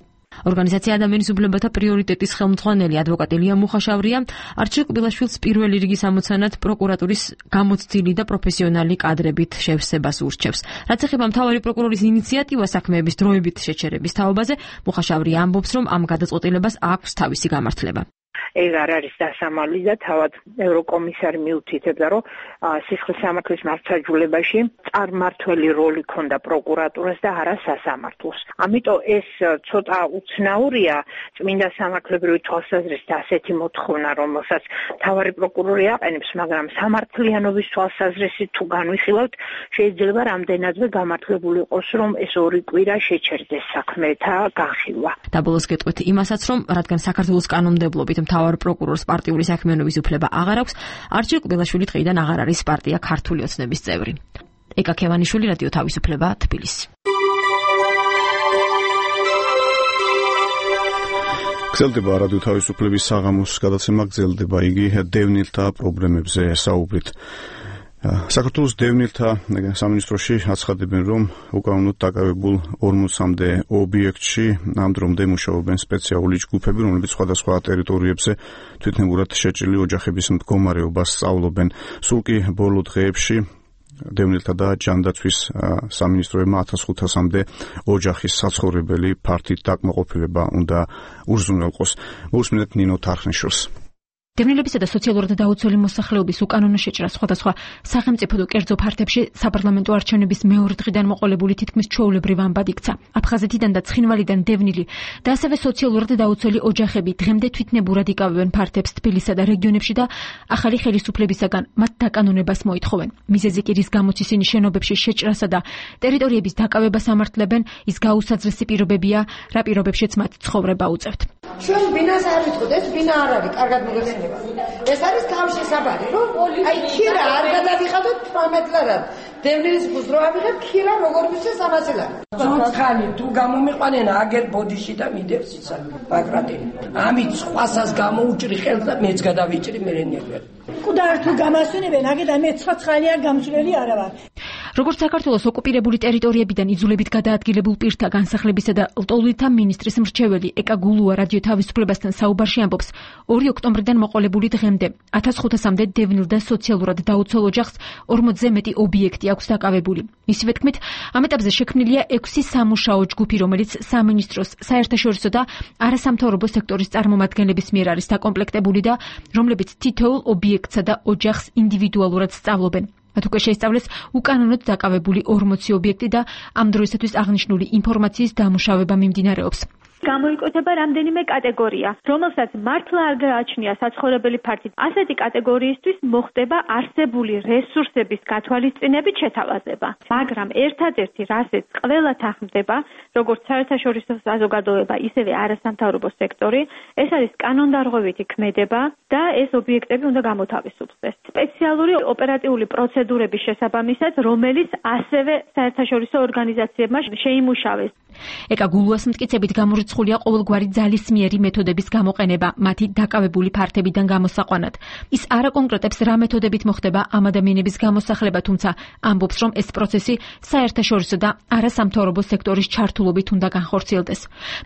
ორგანიზაცია ადამიანის უფლებათა პრიორიტეტის ხელმძღვანელი ადვოკატი ლია მუხაშავრია არჩილ ბილაშვილს პირველი რიგის ამოცანად პროკურატურის გამოცდილი და პროფესიონალი კადრებით შევსებას ურჩევს. რაც ეხება მთავარი პროკურორის ინიციატივას საქმეების დროებით შეჩერების თაობაზე, მუხაშავრია ამბობს, რომ ამ გადაწყვეტილებას აქვს თავისი გამართლება. ეს არ არის დასამალი და თავად ევროკომისარი მიუთითებდა, რომ სისხლის სამართლის მართლმსაჯულებაში წარმართველი როლი ქონდა პროკურატურას და არა სასამართლოს. ამიტომ ეს ცოტა უცნაურია წმინდა სამართლებრივი თვალსაზრისით ასეთი მოთხოვნა, რომელსაც მთავარი პროკურორი აყენებს, მაგრამ სამართლიანობის თვალსაზრისით თუ განვიხილავთ, შეიძლება რამდენადმე გამართლებული იყოს, რომ ეს ორი კვირა შეჩერდეს საქმეთა განხილვა. დაბოლოს გეტყვით იმასაც, რომ რადგან საქართველოს კანონმდებლობით მთავარ პროკურორს პარტიული საქმიანობის უფლება აღარ აქვს, არჩილ ბილაშვილი დღიდან აღარ არის პარტია ქართული ოცნების წევრი. ეკა ქევანიშვილი, რადიო თავისუფლება, თბილისი. გრძელდება რადიო თავისუფლების საღამოს გადაცემა, გრძელდება იგი დევნილთა პრობლემებზე საუბრით. საქართველოს დევნილთა სამინისტროში აცხადებენ, რომ უკანონოდ დაკავებულ 40-მდე ობიექტში ამ დრომდე მუშაობენ სპეციალური ჯგუფები, რომლებიც სხვადასხვა ტერიტორიებზე თვითნებურად შეჭრილი ოჯახების მდგომარეობას სწავლობენ. სულ კი ბოლო დღეებში დევნილთა და ჯანდაცვის სამინისტროებმა 1500-მდე ოჯახის საცხოვრებელი ფართით დაკმაყოფილება უნდა უზრუნველყოს. მოусმინეთ ნინო თარხნიშვილს. დევნილებისა და სოციალურად დაუცველი მოსახლეობის უკანონო შეჭრა სხვადასხვა სახელმწიფო და კერძო ფართებში საპარლამენტო არჩევნების მეორე დღიდან მოყოლებული თითქმის ჩვეულებრივ ამბად იქცა. აფხაზეთიდან და ცხინვალიდან დევნილი და ასევე სოციალურად დაუცველი ოჯახები დღემდე თვითნებურად იკავებენ ფართებს თბილისსა და რეგიონებში და ახალი ხელისუფლებისაგან მათ დაკანონებას მოითხოვენ. მიზეზი კი რის გამოც ისინი შენობებში შეჭრასა და ტერიტორიების დაკავებას ამართლებენ, ის გაუსაძრესი პირობებია, რა პირობებშიც მათ ცხოვრება უწევთ. ჩვენ ბინას არ ვიტყოდ, ეს ბინა არ არის, კარგად მოგეხსენება. ეს არის თავში საბარი, რომ აი ქირა არ გადავიხადოთ 18 ლარად. დევნის ბუზრო ავიღებ, ქირა როგორ ვიცეს 100 ლარი. ცოცხალი თუ გამომიყვანენ აგერ ბოდიში და მიდევს ისა ბაგრატი. ამით სხვასას გამოუჭრი ხელს და მეც გადავიჭრი მერენიერ. კუდარ თუ გამასვენებენ, აგედა მე ცოცხალია გამჭრელი არა ვარ. როგორც საქართველოს ოკუპირებული ტერიტორიებიდან იძულებით გადაადგილებულ პირთა განსახლებისა და ლტოლვილთა მინისტრის მრჩეველი ეკა გულუა რადიო თავისუფლებასთან საუბარში ამბობს, 2 ოქტომბრიდან მოყოლებული დღემდე 1500-მდე დევნილ და სოციალურად დაუცველ ოჯახს 40-ზე მეტი ობიექტი აქვს დაკავებული. მისივე თქმით, ამ ეტაპზე შექმნილია 6 სამუშაო ჯგუფი, რომელიც სამინისტროს, საერთაშორისო და არასამთავრობო სექტორის წარმომადგენლების მიერ არის დაკომპლექტებული და რომლებიც თითოეულ ობიექტსა და ოჯახს ინდივიდუალურად სწავლობენ. მათ უკვე შეისწავლეს უკანონოდ დაკავებული 40 ობიექტი და ამ დროისათვის აღნიშნული ინფორმაციის დამუშავება მიმდინარეობს. გამოიკვეთება რამდენიმე კატეგორია, რომელსაც მართლა არ გააჩნია საცხოვრებელი ფართი. ასეთი კატეგორიისთვის მოხდება არსებული რესურსების გათვალისწინებით შეთავაზება. მაგრამ ერთადერთი, რასაც ყველა თანხმდება, როგორც საერთაშორისო საზოგადოება, ისევე არასამთავრობო სექტორი, ეს არის კანონდარღვევითი ქმედება და ეს ობიექტები უნდა გამოთავისუფლდეს. სპეციალური ოპერატიული პროცედურების შესაბამისად, რომელიც ასევე საერთაშორისო ორგანიზაციებმა შეიმუშავეს. ეკა გულუას მტკიცებით გამორიცხულია ყოველგვარი ძალისმიერი მეთოდების გამოყენება მათი დაკავებული ფართებიდან გამოსაყვანად. ის არა კონკრეტებს რა მეთოდებით მოხდება ამ ადამიანების გამოსახლება, თუმცა ამბობს, რომ ეს პროცესი საერთაშორისო და არასამთავრობო სექტორის ჩართულობით უნდა განხორციელდეს.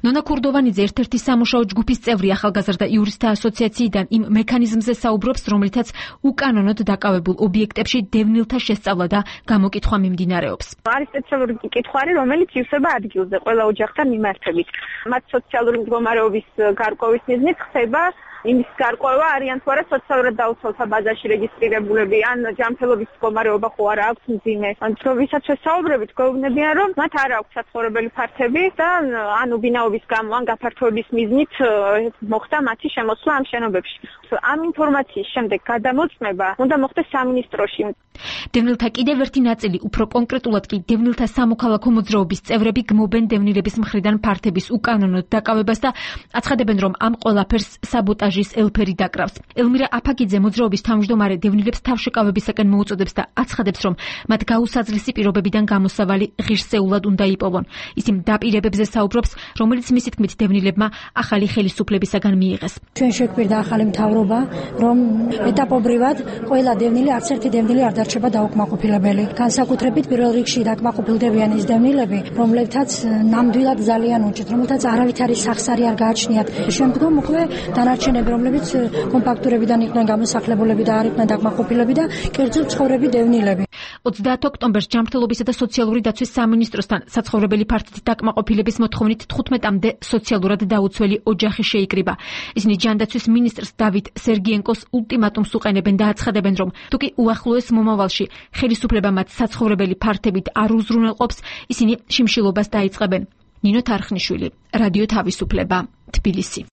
ნონა ქურდოვანიძე ერთ-ერთი სამუშაო ჯგუფის წევრი ახალგაზრდა იურისტთა ასოციაციიდან იმ მექანიზმზე საუბრობს, რომლითაც უკანონოდ დაკავებულ ობიექტებში დევნილთა შესწავლა და გამოკითხვა მიმდინარეობს. არის სპეციალური კითხვარი, რომელიც ივსება ადგილზე ყველა ოჯახთან მიმართებით. მათ სოციალური მდგომარეობის გარკვევის მიზნით ხდება იმის გარკვევა არიან თუ არა სოციალურად დაუცველთა ბაზაში რეგისტრირებულები ან ჯანმრთელობის მდგომარეობა ხო არა აქვს მძიმე. ვისაც ვესაუბრებით, გვეუბნებიან, რომ მათ არ აქვს საცხოვრებელი ფართები და ან უბინაობის გამო ან გაფართოების მიზნით მოხდა მათი შემოსვლა ამ შენობებში. ამ ინფორმაციის შემდეგ გადამოწმება უნდა მოხდეს სამინისტროში. დევნილთა კიდევ ერთი ნაწილი, უფრო კონკრეტულად კი დევნილთა სამოქალაქო მოძრაობის წევრები გმობენ დევნილების მხრიდან ფართების უკანონოდ დაკავებას და აცხადებენ, რომ ამ ყველაფერს საბოტაჟის ელფერი დაკრავს. ელმირა აფაგიძე მოძრაობის თავმჯდომარე დევნილებს თავშეკავებისაკენ მოუწოდებს და აცხადებს, რომ მათ გაუსაძლისი პირობებიდან გამოსავალი ღირსეულად უნდა იპოვონ. ის იმ დაპირებებზე საუბრობს, რომელიც მისი თქმით დევნილებმა ახალი ხელისუფლებისაგან მიიღეს. ჩვენ შეგვირდა ახალი მთავრობა, რომ ეტაპობრივად ყველა დევნილი, არც ერთი დევნილი არ დარჩება დაუკმაყოფილებელი. განსაკუთრებით პირველ რიგში დაკმაყოფილდებიან ის დევნილები, რომლებთაც ნამდვილად ძალიან უჭირთ, რომელთაც არავითარი სახსარი არ გააჩნიათ. შემდგომ უკვე დანარჩენები, რომლებიც კომპაქტურებიდან იყვნენ გამოსახლებულები და არ იყვნენ დაკმაყოფილები და კერძო ცხოვრები დევნილები. 30 ოქტომბერს ჯანმრთელობისა და სოციალური დაცვის სამინისტროსთან საცხოვრებელი ფართით დაკმაყოფილების მოთხოვნით 15-მდე სოციალურად დაუცველი ოჯახი შეიკრიბა. ისინი ჯანდაცვის მინისტრს დავით სერგიენკოს ულტიმატუმს უყენებენ და აცხადებენ, რომ თუკი უახლოეს მომავალში ხელისუფლება მათ საცხოვრებელი ფართებით არ უზრუნველყოფს, ისინი შიმშილობას დაიწყებენ. ნინო თარხნიშვილი, რადიო თავისუფლება, თბილისი.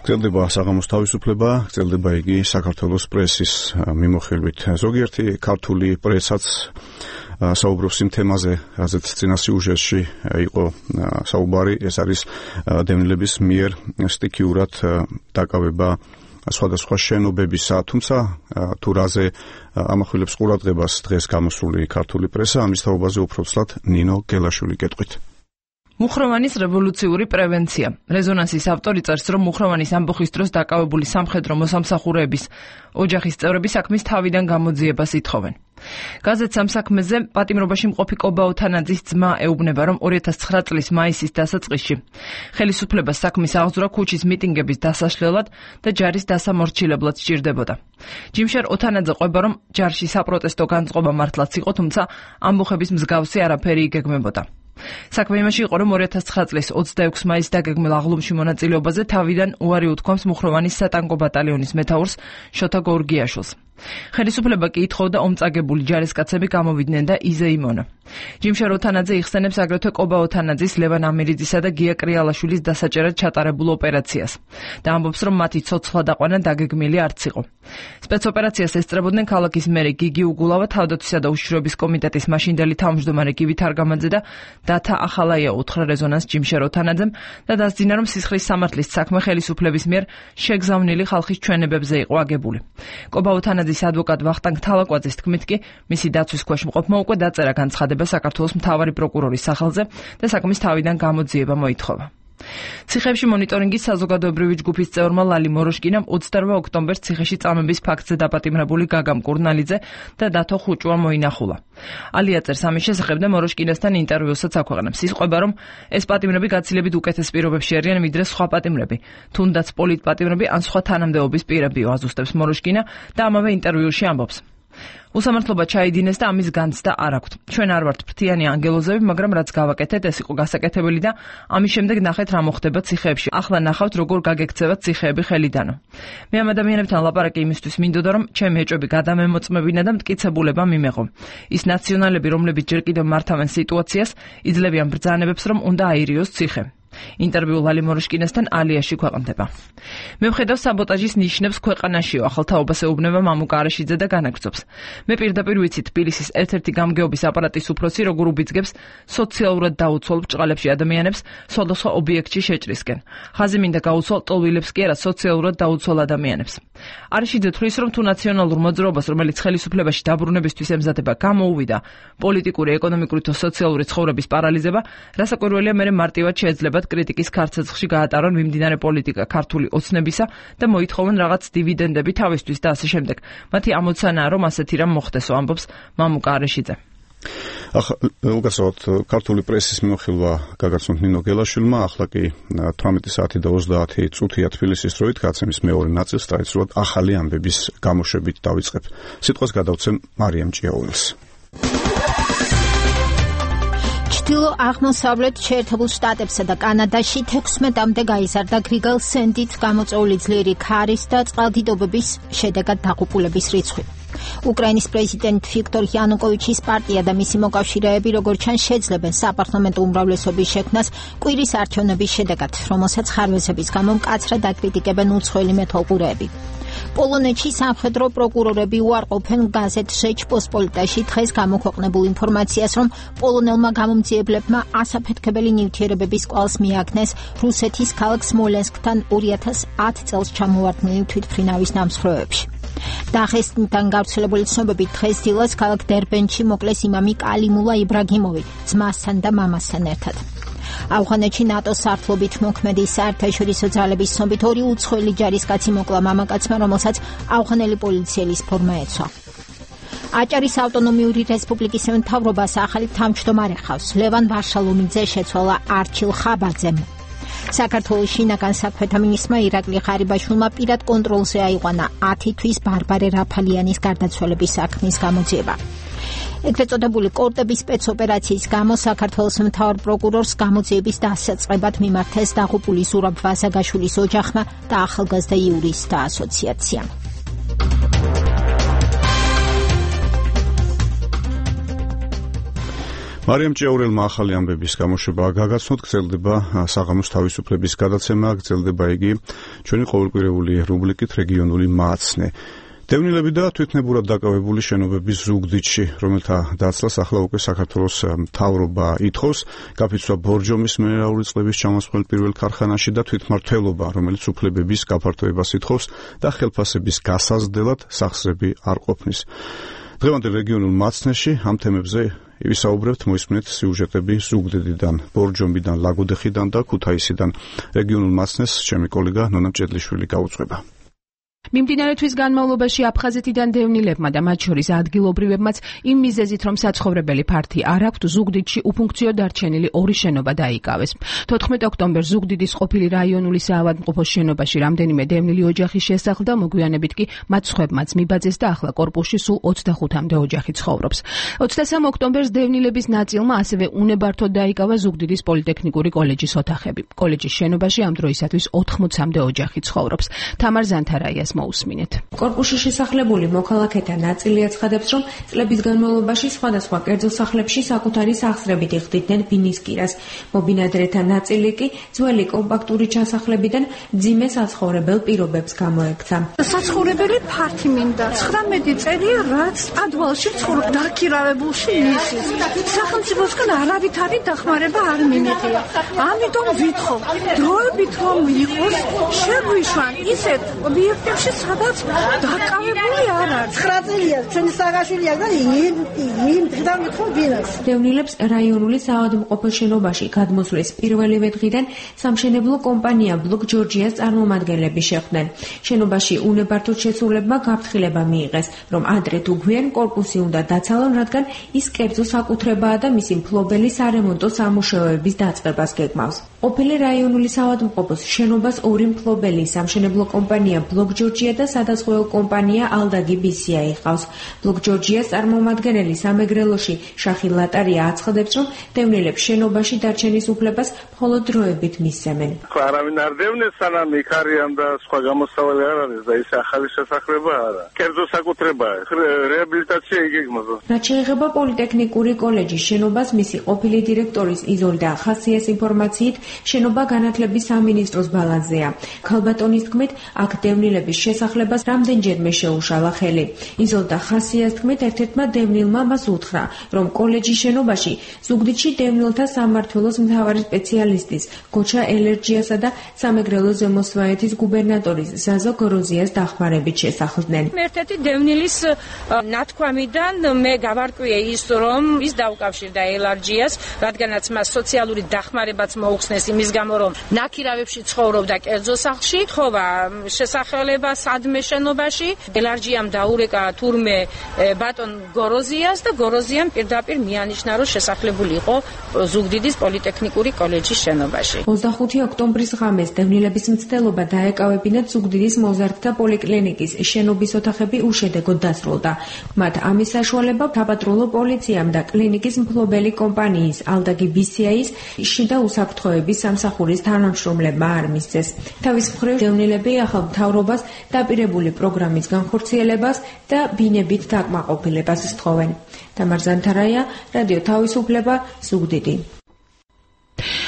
გრძელდება საღამოს თავისუფლება, გრძელდება იგი საქართველოს პრესის მიმოხილვით. ზოგიერთი ქართული პრესაც საუბრობს იმ თემაზე, რაზეც წინა სიუჟეტში იყო საუბარი, ეს არის დევნილების მიერ სტიქიურად დაკავება სხვადასხვა შენობებისა, თუმცა თუ რაზე ამახვილებს ყურადღებას დღეს გამოსული ქართული პრესა, ამის თაობაზე უფრო ცლად ნინო გელაშვილი კეთყვით. მუხროვანის რევოლუციური პრევენცია. რეზონანსის ავტორი წერს, რომ მუხროვანის ამბოხის დროს დაკავებული სამხედრო მოსამსახურეების ოჯახის წევრები საქმის თავიდან გამოძიებას ითხოვენ. გაზეთ სამსაქმეზე პატიმრობაში მყოფი კობა ოთანაძის ძმა ეუბნება, რომ 2009 წლის მაისის დასაწყისში ხელისუფლებას საქმის აღძვრა ქუჩის მიტინგების დასაშლელად და ჯარის დასამორჩილებლად სჭირდებოდა. ჯიმშერ ოთანაძე ყვება, რომ ჯარში საპროტესტო განწყობა მართლაც იყო, თუმცა ამბოხების მსგავსი არაფერი იგეგმებოდა. საქმე იმაში იყო, რომ 2009 წლის 26 მაისს დაგეგმილ აღლუმში მონაწილეობაზე თავიდან უარი უთქვამს მუხროვანის სატანკო ბატალიონის მეთაურს შოთა გორგიაშვილს. ხელისუფლება კი ითხოვდა ომწაგებული ჯარისკაცები გამოვიდნენ და იზეიმონა. ჯიმშერ ოთანაძე იხსენებს აგრეთვე კობა ოთანაძის, ლევან ამირიძისა და გია კრიალაშვილის დასაჭერად ჩატარებულ ოპერაციას და ამბობს, რომ მათი ცოცხლა დაყვანა დაგეგმილი არც იყო. სპეცოპერაციას ესწრებოდნენ ქალაქის მერი გიგი უგულავა, თავდაცვისა და უშიშროების კომიტეტის მაშინდელი თავმჯდომარე გივით არგამაძე და დათა ახალაია უთხრა რეზონანს ჯიმშერ ოთანაძემ და დასძინა, რომ სისხლის სამართლის საქმე ხელისუფლების მიერ შეგზავნილი ხალხის ჩვენებებზე იყო აგებული. კობა ოთანაძის ადვოკატ ვახტანგ თალაკვაძის თქმით კი მისი დაცვის ქვეშ მყოფმა უკვე დაწერა განცხადება საქართველოს მთავარი პროკურორის სახელზე და საქმის თავიდან გამოძიება მოითხოვა. ციხეებში მონიტორინგის საზოგადოებრივი ჯგუფის წევრმა ლალი მოროშკინამ 28 ოქტომბერს ციხეში წამების ფაქტზე დაპატიმრებული გაგამ კურნალიძე და დათო ხუჭუა მოინახულა. ალია წერს ამის შესახებ და მოროშკინასთან ინტერვიუსაც აქვეყნებს. ის ყვება, რომ ეს პატიმრები გაცილებით უკეთეს პირობებში არიან ვიდრე სხვა პატიმრები, თუნდაც პოლიტპატიმრები ან სხვა თანამდებობის პირებიო, აზუსტებს მოროშკინა და ამავე ინტერვიუში ამბობს. უსამართლობა ჩაიდინეს და ამის განცდა არ აქვთ. ჩვენ არ ვართ ფრთიანი ანგელოზები, მაგრამ რაც გავაკეთეთ, ეს იყო გასაკეთებელი და ამის შემდეგ ნახეთ რა მოხდება ციხეებში. ახლა ნახავთ როგორ გაგექცევათ ციხეები ხელიდანო. მე ამ ადამიანებთან ლაპარაკი იმისთვის მინდოდა, რომ ჩემი ეჭვები გადამემოწმებინა და მტკიცებულება მიმეღო. ის ნაციონალები, რომლებიც ჯერ კიდევ მართავენ სიტუაციას, იძლევიან ბრძანებებს, რომ უნდა აირიოს ციხე. ინტერვიუ ლალი მოროშკინესთან ალიაში ქვეყნდება. მე ვხედავ საბოტაჟის ნიშნებს ქვეყანაშიო, ახალთაობას ეუბნება მამუკა არაშიძე და განაგრძობს. მე პირდაპირ ვიცი თბილისის ერთ-ერთი გამგეობის აპარატის უფროსი როგორ უბიძგებს სოციალურად დაუცველ ბრჭყალებში ადამიანებს სხვადასხვა ობიექტში შეჭრისკენ. ხაზი მინდა გაუცვალ ტოლვილებს კი არა, სოციალურად დაუცველ ადამიანებს. არაშიძე თვლის, რომ თუ ნაციონალურ მოძრაობას, რომელიც ხელისუფლებაში დაბრუნებისთვის ემზადება, გამოუვიდა პოლიტიკური, ეკონომიკური თუ სოციალური ცხოვრების პარალიზება, რასაკვირველია მე მარტივად შეეძლებათ კრიტიკის ქარცეცხლში გაატარონ მიმდინარე პოლიტიკა ქართული ოცნებისა და მოითხოვონ რაღაც დივიდენდები თავისთვის და ასე შემდეგ. მათი ამოცანაა, რომ ასეთი რამ მოხდესო, ამბობს მამუკა არაშიძე. უკაცრავად ქართული პრესის მიმოხილვა გაგაცნოთ ნინო გელაშვილმა, ახლა კი 18 საათი და 30 წუთია თბილისის დროით, გაცემის მეორე ნაწილს ტრადიციულად ახალი ამბების გამოშვებით დავიწყებ. სიტყვას გადავცემ მარიამ ჭიაურელს. აღმოსავლეთ შეერთებულ შტატებსა და კანადაში 16-მდე გაიზარდა გრიგალ სენდით გამოწვეული ძლიერი ქარის და წყალდიდობების შედეგად დაღუპულების რიცხვი. უკრაინის პრეზიდენტ ვიქტორ იანუკოვიჩის პარტია და მისი მოკავშირეები როგორც ჩანს შეძლებენ საპარლამენტო უმრავლესობის შექმნას კვირის არჩევნების შედეგად, რომელსაც ხარვეზების გამო მკაცრად აკრიტიკებენ უცხოელი მეთვალყურეები. პოლონეთში სამხედრო პროკურორები უარყოფენ გაზეთ ჟეჩპოსპოლიტაში დღეს გამოქვეყნებულ ინფორმაციას, რომ პოლონელმა გამომძიებლებმა ასაფეთქებელი ნივთიერებების კვალს მიაგნეს რუსეთის ქალაქ სმოლენსკთან 2010 წელს ჩამოვარდნილი თვითმფრინავის ნამსხვრევებში. დაღესტნიდან გავრცელებული ცნობებით დღეს დილას ქალაქ დერბენში მოკლეს იმამი კალიმულა იბრაგიმოვი ძმასთან და მამასთან ერთად. ავღანეთში ნატოს სარდლობით მოქმედი საერთაშორისო ძალების ცნობით 2 უცხოელი ჯარისკაცი მოკლა მამაკაცმა, რომელსაც ავღანელი პოლიციელის ფორმა ეცვა. აჭარის ავტონომიური რესპუბლიკის მთავრობას ახალი თავმჯდომარე ხავს. ლევან ვარშალომიძე შეცვალა არჩილ ხაბაძემ. საქართველოს შინაგან საქმეთა მინისტრმა ირაკლი ღარიბაშვილმა პირად კონტროლზე აიყვანა 10 თვის ბარბარე რაფალიანის გარდაცვალების საქმის გამოძიება. ეგრეთ წოდებული კორტების სპეცოპერაციის გამო საქართველოს მთავარ პროკურორს გამოძიების დასაწყებად მიმართეს დაღუპული ზურაბ ვაზაგაშვილის ოჯახმა და ახალგაზრდა იურისტთა ასოციაციამ. მარიამ ჭიაურელმა ახალი ამბების გამოშვება გაგაცნოთ, გრძელდება საღამოს თავისუფლების გადაცემა, გრძელდება იგი ჩვენი ყოველკვირეული რუბრიკით რეგიონული მაცნე. დევნილები და თვითნებურად დაკავებული შენობების ზუგდიდში, რომელთა დაცლას ახლა უკვე საქართველოს მთავრობა ითხოვს, გაფიცვა ბორჯომის მინერალური წყლების ჩამოსხმელ პირველ ქარხანაში და თვითმმართველობა, რომელიც უფლებების გაფართოებას ითხოვს და ხელფასების გასაზრდელად სახსრები არ ყოფნის. დღევანდელ რეგიონულ მაცნეში ამ თემებზე ვისაუბრებთ, მოისმინეთ სიუჟეტები ზუგდიდიდან, ბორჯომიდან, ლაგოდეხიდან და ქუთაისიდან. რეგიონულ მაცნეს ჩემი კოლეგა ნონა ჭედლიშვილი გაუძღვება. მიმდინარე თვის განმავლობაში აფხაზეთიდან დევნილებმა და მათ შორის ადგილობრივებმაც იმ მიზეზით, რომ საცხოვრებელი ფართი არ აქვთ, ზუგდიდში უფუნქციო დარჩენილი 2 შენობა დაიკავეს. 14 ოქტომბერს ზუგდიდის ყოფილი რაიონული საავადმყოფოს შენობაში რამდენიმე დევნილი ოჯახი შესახლდა, მოგვიანებით კი მათ სხვებმაც მიბაძეს და ახლა კორპუსში სულ 25-მდე ოჯახი ცხოვრობს. 23 ოქტომბერს დევნილების ნაწილმა ასევე უნებართოდ დაიკავა ზუგდიდის პოლიტექნიკური კოლეჯის ოთახები. კოლეჯის შენობაში ამ დროისათვის 80-მდე ოჯახი ცხოვრობს. თამარ ზანთარაიას მოусმინეთ. კორპუსში შესახლებული მოქალაქეთა ნაწილი აცხადებს, რომ წლების განმავლობაში სხვადასხვა კერძო სახლებში საკუთარი სახსრებით იხდიდნენ ბინისკირას. მობინადრეთა ნაწილი კი ძველი კომპაქტური ჩასახლებიდან ძიმე საცხოვრებელ პირობებს გამოექცა. საცხოვრებელი ფართი მინდა. 19 წელია, რაც ადვალში ვცხოვრობ, დაქირავებულში ისის. სახელმწიფოსგან არავითარი დახმარება არ მინდია. ამიტომ ვითხოვ, დროებით რომ იყოს, შეგვიშვან ისეთ ობიექტებში, სადაც დაკავებული არ არის. 9 წელია ჩვენი საგაშვილია და იმ დღიდან ვითხოვ ბინას. დევნილებს რაიონული საავადმყოფოს შენობაში გადმოსვლის პირველივე დღიდან სამშენებლო კომპანია ბლოკ ჯორჯიას წარმომადგენლები შეხვდნენ. შენობაში უნებართოდ შესულებმა გაფრთხილება მიიღეს, რომ ადრე თუ გვიან კორპუსი უნდა დაცალონ, რადგან ის კერძო საკუთრებაა და მისი მფლობელი სარემონტო სამუშაოების დაწყებას გეგმავს. ყოფილი რაიონული საავადმყოფოს შენობას 2 მფლობელი სამშენებლო კომპანია ბლოკ ჯორჯია ჯორჯია და სადაზღვეო კომპანია ალდაგი BCI ჰყავს. ბლოკ ჯორჯიას წარმომადგენელი სამეგრელოში შახი ლატარია აცხადებს, რომ დევნილებს შენობაში დარჩენის უფლებას მხოლოდ დროებით მისცემენ. არავინ არ დევნეს, სანამ იქ არიან და სხვა გამოსავალი არ არის და ის ახალი შესაძლებლობა არა. კერძო საკუთრებაა, რეაბილიტაცია იგეგმება. რაც შეეხება პოლიტექნიკური კოლეჯის შენობას, მისი ყოფილი დირექტორის იზოლდა ხასიას ინფორმაციით, შენობა განათლების სამინისტროს ბალანსზეა. ქალბატონის თქმით, აქ დევნილების შესახლებას რამდენჯერმე შეუშალა ხელი. იზოლდა ხასიას თქმით, ერთ-ერთმა დევნილმა მას უთხრა, რომ კოლეჯის შენობაში ზუგდიდში დევნილთა სამმართველოს მთავარი სპეციალისტის გოჩა ელერჯიასა და სამეგრელო ზემოსვანეთის გუბერნატორის ზაზო გოროზიას დახმარებით შესახლდნენ. ერთ-ერთი დევნილის ნათქვამიდან მე გავარკვიე ის, რომ ის დაუკავშირდა ელარჯიას, რადგანაც მას სოციალური დახმარებაც მოუხსნეს იმის გამო, რომ ნაკირავებში ცხოვრობდა კერძო სახლში, თხოვა შესახელება სადმე შენობაში, ელარჯიამ დაურეკა თურმე ბატონ გოროზიას და გოროზიამ პირდაპირ მიანიშნა, რომ შესახლებული იყო ზუგდიდის პოლიტექნიკური კოლეჯის შენობაში. 25 ოქტომბრის ღამეს დევნილების მცდელობა დაეკავებინათ ზუგდიდის მოზარდთა პოლიკლინიკის შენობის ოთახები უშედეგოდ დასრულდა. მათ ამის საშუალება საპატრულო პოლიციამ და კლინიკის მფლობელი კომპანიის ალდაგი BCI-ის შიდა უსაფრთხოების სამსახურის თანამშრომლებმა არ მისცეს. თავის მხრივ დევნილები ახალ მთავრობას დაპირებული პროგრამის განხორციელებას და ბინებით დაკმაყოფილებას სთხოვენ. თამარ ზანთარაია, რადიო თავისუფლება, ზუგდიდი.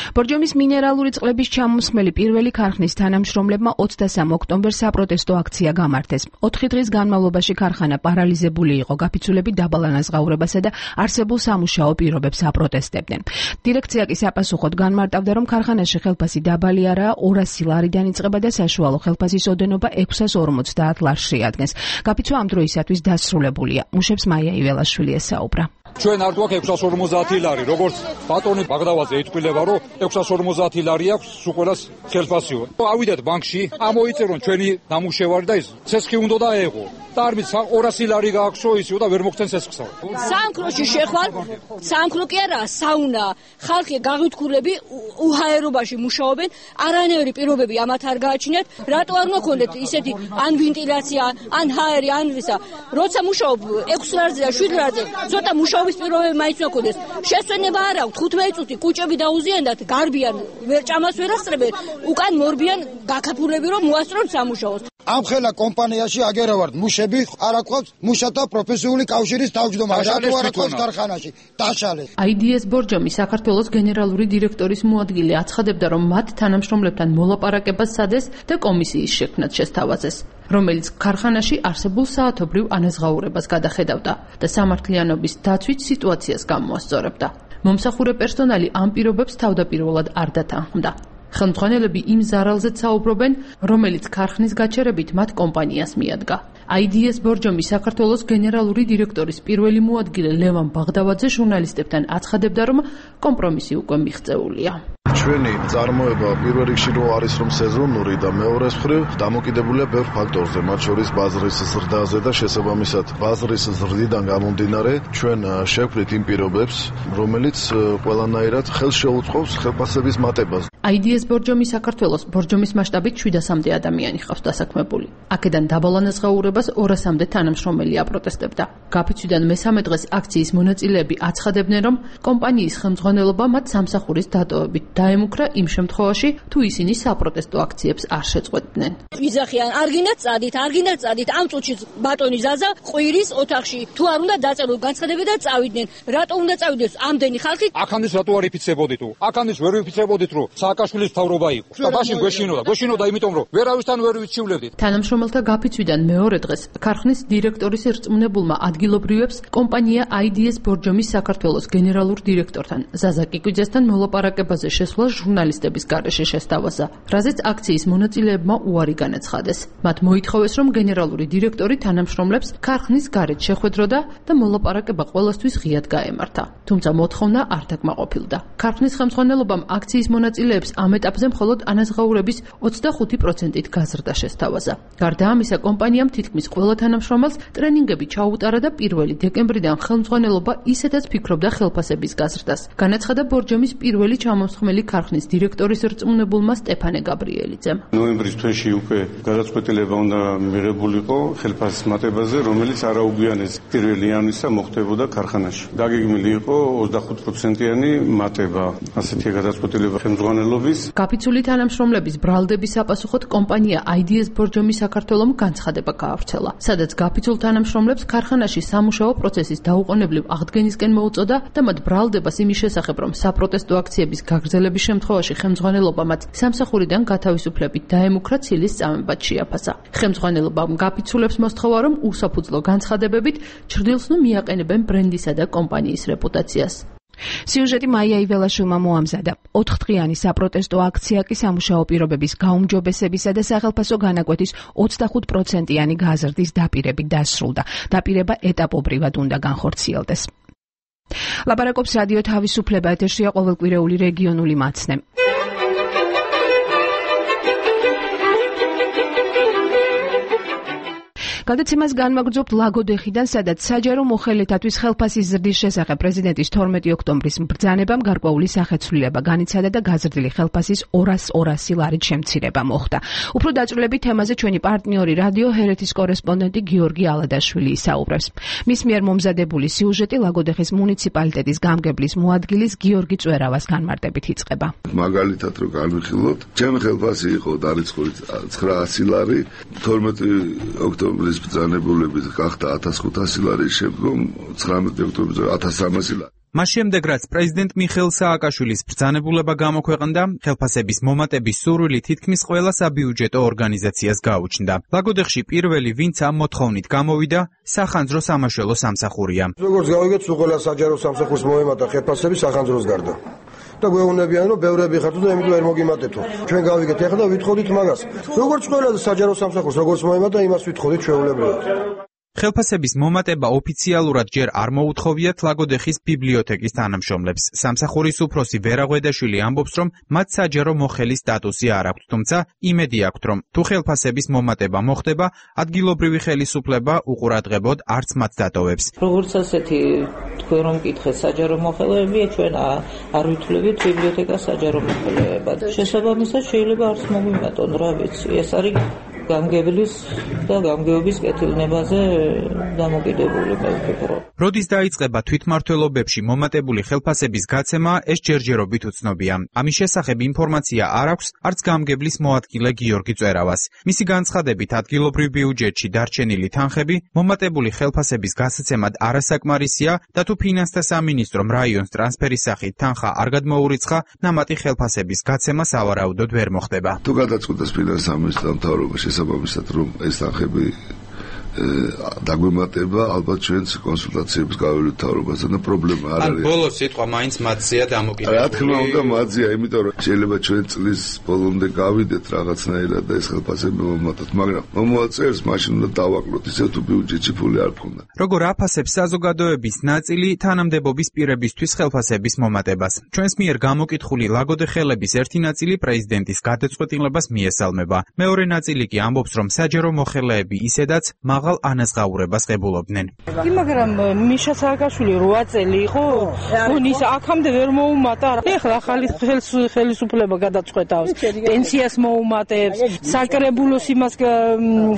ბორჯომის მინერალური წყლების ჩამოსხმელი პირველი ქარხნის თანამშრომლებმა 23 ოქტომბერს საპროტესტო აქცია გამართეს. 4 დღის განმავლობაში ქარხანა პარალიზებული იყო, გაფიცულებით დაბალ ანაზღაურებასა და არსებულ სამუშაო პირობებს აპროტესტებდნენ. დირექცია კი საპასუხოდ განმარტავდა, რომ ქარხანაში ხელფასი დაბალი არაა, 200 ლარიდან იწყება და საშუალო ხელფასის ოდენობა 650 ლარს შეადგენს. გაფიცვა ამ დროისათვის დასრულებულია. მუშებს მაია იველაშვილი ესაუბრა. ჩვენ არ გვაქვს 650 ლარი, როგორც ბატონი ბაღდავაძე იტყვილება, რომ 650 ლარი აქვს სულ ხელფასიო. ავიდეთ ბანკში, ამოიწერონ ჩვენი ნამუშევარი და ის ცესხი უნდა დაეღო. და არ ვიცი 200 ლარი გააქვსო ისიო და ვერ მოგცენ ცესხსა. სამკროში შეხვალ, სამკრო კი არა, საუნა. ხალხი გაღვითქურები უჰაერობაში მუშაობენ, არანაირი პირობები ამათ არ გააჩინეთ. რატო არ მოქონდეთ ისეთი ან ვენტილაცია, ან ჰაერი, ან ვისა. როცა მუშაობ 6 ლარზე და 7 ლარზე, ცოტა მუშაობის პირობები მაინც მოქონდეს. შესვენება არ აქვს, 15 წუთი კუჭები დაუზიანდათ, გარბიან, ვერ ჭამას ვერ ასწრებენ, უკან მორბიან გაქაფულები რომ მოასწრონ სამუშაოს. ამ ხელა კომპანიაში აგერავართ მუშები, არ აქვს მუშათა პროფესიული კავშირის თავმჯდომარე, რატო არ აქვს ქარხანაში დაშალეს. IDS ბორჯომი საქართველოს გენერალური დირექტორის მოადგილე აცხადებდა, რომ მათ თანამშრომლებთან მოლაპარაკებას სადეს და კომისიის შექმნაც შესთავაზეს, რომელიც ქარხანაში არსებულ საათობრივ ანაზღაურებას გადახედავდა და სამართლიანობის დაცვით სიტუაციას გამოასწორებდა. მომსახურე პერსონალი ამ პირობებს თავდაპირველად არ დათანხმდა. ხელმძღვანელები იმ ზარალზეც საუბრობენ, რომელიც ქარხნის გაჩერებით მათ კომპანიას მიადგა. IDS ბორჯომი საქართველოს გენერალური დირექტორის პირველი მოადგილე ლევან ბაღდავაძე ჟურნალისტებთან აცხადებდა, რომ კომპრომისი უკვე მიღწეულია. ჩვენი წარმოება პირველ რიგში რო არის რომ სეზონური და მეორეს მხრივ დამოკიდებულია ბევრ ფაქტორზე, მათ შორის ბაზრის ზრდაზე და შესაბამისად ბაზრის ზრდიდან გამომდინარე ჩვენ შევქმნით იმ პირობებს, რომელიც ყველანაირად ხელს შეუწყობს ხელფასების მატებას. IDS ბორჯომი საქართველოს ბორჯომის მასშტაბით 700-მდე ადამიანი ხავს დასაქმებული. აქედან დაბალ ანაზღაურებას 200-მდე თანამშრომელი აპროტესტებდა. გაფიცვიდან მესამე დღეს აქციის მონაწილეები აცხადებდნენ, რომ კომპანიის ხელმძღვანელობა მათ სამსახურის დატოვებით დაემუქრა იმ შემთხვევაში, თუ ისინი საპროტესტო აქციებს არ შეწყვეტდნენ. ვიზახიან, არ გინდათ წადით, ამ წუთში ბატონი ზაზა ყვირის ოთახში, თუ არ უნდა დაწეროს განცხადები და წავიდნენ. რატო უნდა წავიდეს ამდენი ხალხი? აქანდის რატო არ იფიცებოდით? აქანდის ვერ ვიფიცებოდით, რომ სააკაშვილის მთავრობა იყო. და მაშინ გვეშინოდა, იმიტომ რომ ვერავისთან ვერ ვიჩივლებდით. თანამშრომელთა გაფიცვიდან მეორე დღეს ქარხნის დირექტორის რწმუნებულმა ადგილობრივებს კომპანია IDS ბორჯომის საქართველოს გენერალურ დირექტორთან ზაზა კიკვიძესთან მოლაპარაკებაზე შესვლა ჟურნალისტების გარეშე შესთავაზა, რაზეც აქციის მონაწილეებმა უარი განაცხადეს. მათ მოითხოვეს, რომ გენერალური დირექტორი თანამშრომლებს ქარხნის გარეთ შეხვედროდა და მოლაპარაკება ყველასთვის ღიად გაემართა. თუმცა მოთხოვნა არ დაკმაყოფილდა. ქარხნის ხელმძღვანელობამ აქციის მონაწილეებს მუშაებს ამ ეტაპზე მხოლოდ ანაზღაურების 25%-ით გაზრდა შესთავაზა. გარდა ამისა, კომპანიამ თითქმის ყველა თანამშრომელს ტრენინგები ჩაუტარა და 1 დეკემბრიდან ხელმძღვანელობა ისედაც ფიქრობდა ხელფასების გაზრდას. განაცხადა ბორჯომის პირველი ჩამოსხმელი ქარხნის დირექტორის რწმუნებულმა სტეფანე გაბრიელიძემ. ნოემბრის თვეში უკვე გადაწყვეტილება უნდა მიღებულიყო ხელფასის მატებაზე, რომელიც არაუგვიანეს 1 იანვრისა მოხდებოდა ქარხანაში. დაგეგმილი იყო 25%-იანი მატება. ასეთი გადაწყვეტილება ხელმძღვანელობის. გაფიცული თანამშრომლების ბრალდების საპასუხოდ კომპანია IDS ბორჯომი საქართველომ განცხადება გაავრცელა, სადაც გაფიცულ თანამშრომლებს ქარხანაში სამუშაო პროცესის დაუყოვნებლივ აღდგენისკენ მოუწოდა და მათ ბრალდებას იმის შესახებ, რომ საპროტესტო აქციების გაგრძელების შემთხვევაში ხელმძღვანელობა მათ სამსახურიდან გათავისუფლებით დაემუქრა ცილის წამებად შეაფასა. ხელმძღვანელობამ გაფიცულებს მოსთხოვა, რომ უსაფუძვლო განცხადებებით ჩრდილს ნუ მიაყენებენ ბრენდისა და კომპანიის რეპუტაციას. სიუჟეტი მაია იველაშვილმა მოამზადა. 4დღიანი საპროტესტო აქცია კი სამუშაო პირობების გაუმჯობესებისა და სახელფასო განაკვეთის 25%-იანი გაზრდის დაპირებით დასრულდა. დაპირება ეტაპობრივად უნდა განხორციელდეს. ლაპარაკობს რადიო თავისუფლება, ეთერშია ყოველკვირეული რეგიონული მაცნე. გადაცემას განმაგრძობთ ლაგოდეხიდან, სადაც საჯარო მოხელეთათვის ხელფასის ზრდის შესახებ პრეზიდენტის 12 ოქტომბრის ბრძანებამ გარკვეული სახეცვლილება განიცადა და გაზრდილი ხელფასის 200 ლარით შემცირება მოხდა. უფრო დაწვრილებით თემაზე ჩვენი პარტნიორი რადიო ჰერეთის კორესპონდენტი გიორგი ალადაშვილი ისაუბრებს. მის მიერ მომზადებული სიუჟეტი ლაგოდეხის მუნიციპალიტეტის გამგებლის მოადგილის გიორგი წვერავას განმარტებით იწყება. მაგალითად რო განვიხილოთ, ჩემი ხელფასი იყო დარიცხული 900 ლარი, 12 ოქტომბრის ბრძანებულებით გახდა 1500 ლარი, შემდგომ 19 ოქტომბერზე 1300 ლარი. მას შემდეგ, რაც პრეზიდენტ მიხეილ სააკაშვილის ბრძანებულება გამოქვეყნდა, ხელფასების მომატების სურვილი თითქმის ყველა საბიუჯეტო ორგანიზაციას გაუჩნდა. ლაგოდეხში პირველი, ვინც ამ მოთხოვნით გამოვიდა, სახანძრო სამაშველო სამსახურია. როგორც გავიგეთ, ყველა საჯარო სამსახურს მოემატა ხელფასები სახანძროს გარდა. და გვეუბნებიან, რომ ბევრები ხართ და იმიტომ ვერ მოგიმატეთო. ჩვენ გავიგეთ ახლა და ვითხოვდით მაგას. როგორც ყველა საჯარო სამსახურს როგორც მოემატა, იმას ვითხოვდით ჩვეულებრივად. ხელფასების მომატება ოფიციალურად ჯერ არ მოუთხოვიათ ლაგოდეხის ბიბლიოთეკის თანამშრომლებს. სამსახურის უფროსი ვერა ღვედაშვილი ამბობს, რომ მათ საჯარო მოხელის სტატუსი არ აქვთ, თუმცა იმედი აქვთ, რომ თუ ხელფასების მომატება მოხდება, ადგილობრივი ხელისუფლება უყურადღებოდ არც მათ დატოვებს. როგორც ასეთი თქვენ რომ მკითხეთ საჯარო მოხელეებია, ჩვენ არ ვითვლებით ბიბლიოთეკას საჯარო მოხელეებად. შესაბამისად შეიძლება არც მოგვიმატონ, რა ვიცი, ეს არის გამგებლის და გამგეობის კეთილნებაზე დამოკიდებული მე ვფიქრობ. როდის დაიწყება თვითმმართველობებში მომატებული ხელფასების გაცემა, ეს ჯერჯერობით უცნობია. ამის შესახებ ინფორმაცია არ აქვს არც გამგებლის მოადგილე გიორგი წვერავას. მისი განცხადებით, ადგილობრივ ბიუჯეტში დარჩენილი თანხები მომატებული ხელფასების გასაცემად არასაკმარისია და თუ ფინანსთა სამინისტრომ რაიონს ტრანსფერის სახით თანხა არ გადმოურიცხა, ნამატი ხელფასების გაცემა სავარაუდოდ ვერ მოხდება. თუ გადაწყვეტეს ფინანსთა სამინისტროს მთავრობა შესაბამისად, რომ ეს თანხები დაგვემატება, ალბათ ჩვენს კონსულტაციებს გავივლით მთავრობასთან და პრობლემა არ არის. ან ბოლოს სიტყვა მაინც მათზეა დამოკიდებული. რა თქმა უნდა, მათზეა, იმიტომ რომ შეიძლება ჩვენ წლის ბოლომდე გავიდეთ რაღაცნაირად და ეს ხელფასები მომატოთ, მაგრამ მომავალ მაშინ უნდა დავაკლოთ, ისე თუ ბიუჯეტში ფული არ გქონდა. როგორ აფასებს საზოგადოების ნაწილი თანამდებობის პირებისთვის ხელფასების მომატებას? ჩვენს მიერ გამოკითხული ლაგოდეხელების ერთი ნაწილი პრეზიდენტის გადაწყვეტილებას მიესალმება. მეორე ნაწილი კი ამბობს, რომ საჯარო მოხელეები ისედაც მაღალ ანაზღაურებას ღებულობდნენ. მაგრამ მიშა სააკაშვილი 8 წელი იყო, ის აქამდე ვერ მოუმატა. ეხლა ახალი ხელისუფლება გადაწყვეტავს, პენსიას მოუმატებს, საკრებულოს იმას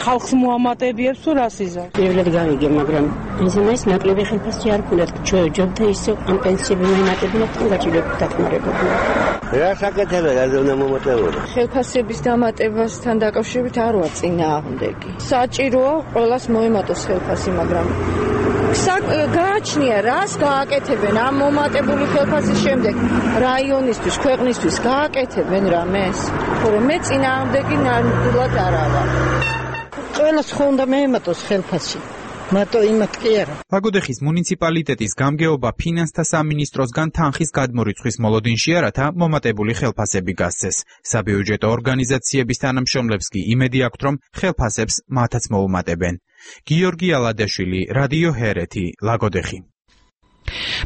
ხალხს მოამატებიებს თუ რას იზა. პირველად გავიგე, მაგრამ ის ნაკლები ხელფასი არ ქონდათ. ჯობდა ისე ამ პენსიები მოიმატებინა, თან გაჭირებდა დახმარებოდა. რა საკეთებია, რა უნდა მომატებოდა? ხელფასების დამატებასთან დაკავშირებით არ ვარ წინააღმდეგი. საჭიროა ყველას მოემატოს ხელფასი, მაგრამ გააჩნია რას გააკეთებენ ამ მომატებული ხელფასის შემდეგ რაიონისთვის, ქვეყნისთვის გააკეთებენ რამეს? ხოლმე მე წინააღმდეგი ნამდვილად არა ვარ. ყველას ხო უნდა მეემატოს ხელფასი. მარტო იმათ კი არა. ლაგოდეხის მუნიციპალიტეტის გამგეობა ფინანსთა სამინისტროსგან თანხის გადმორიცხვის მოლოდინშია, რათა მომატებული ხელფასები გასცეს. საბიუჯეტო ორგანიზაციების თანამშრომლებს კი იმედი აქვთ, რომ ხელფასებს მათაც მოუმატებენ. გიორგი ალადაშვილი, რადიო ჰერეთი, ლაგოდეხი.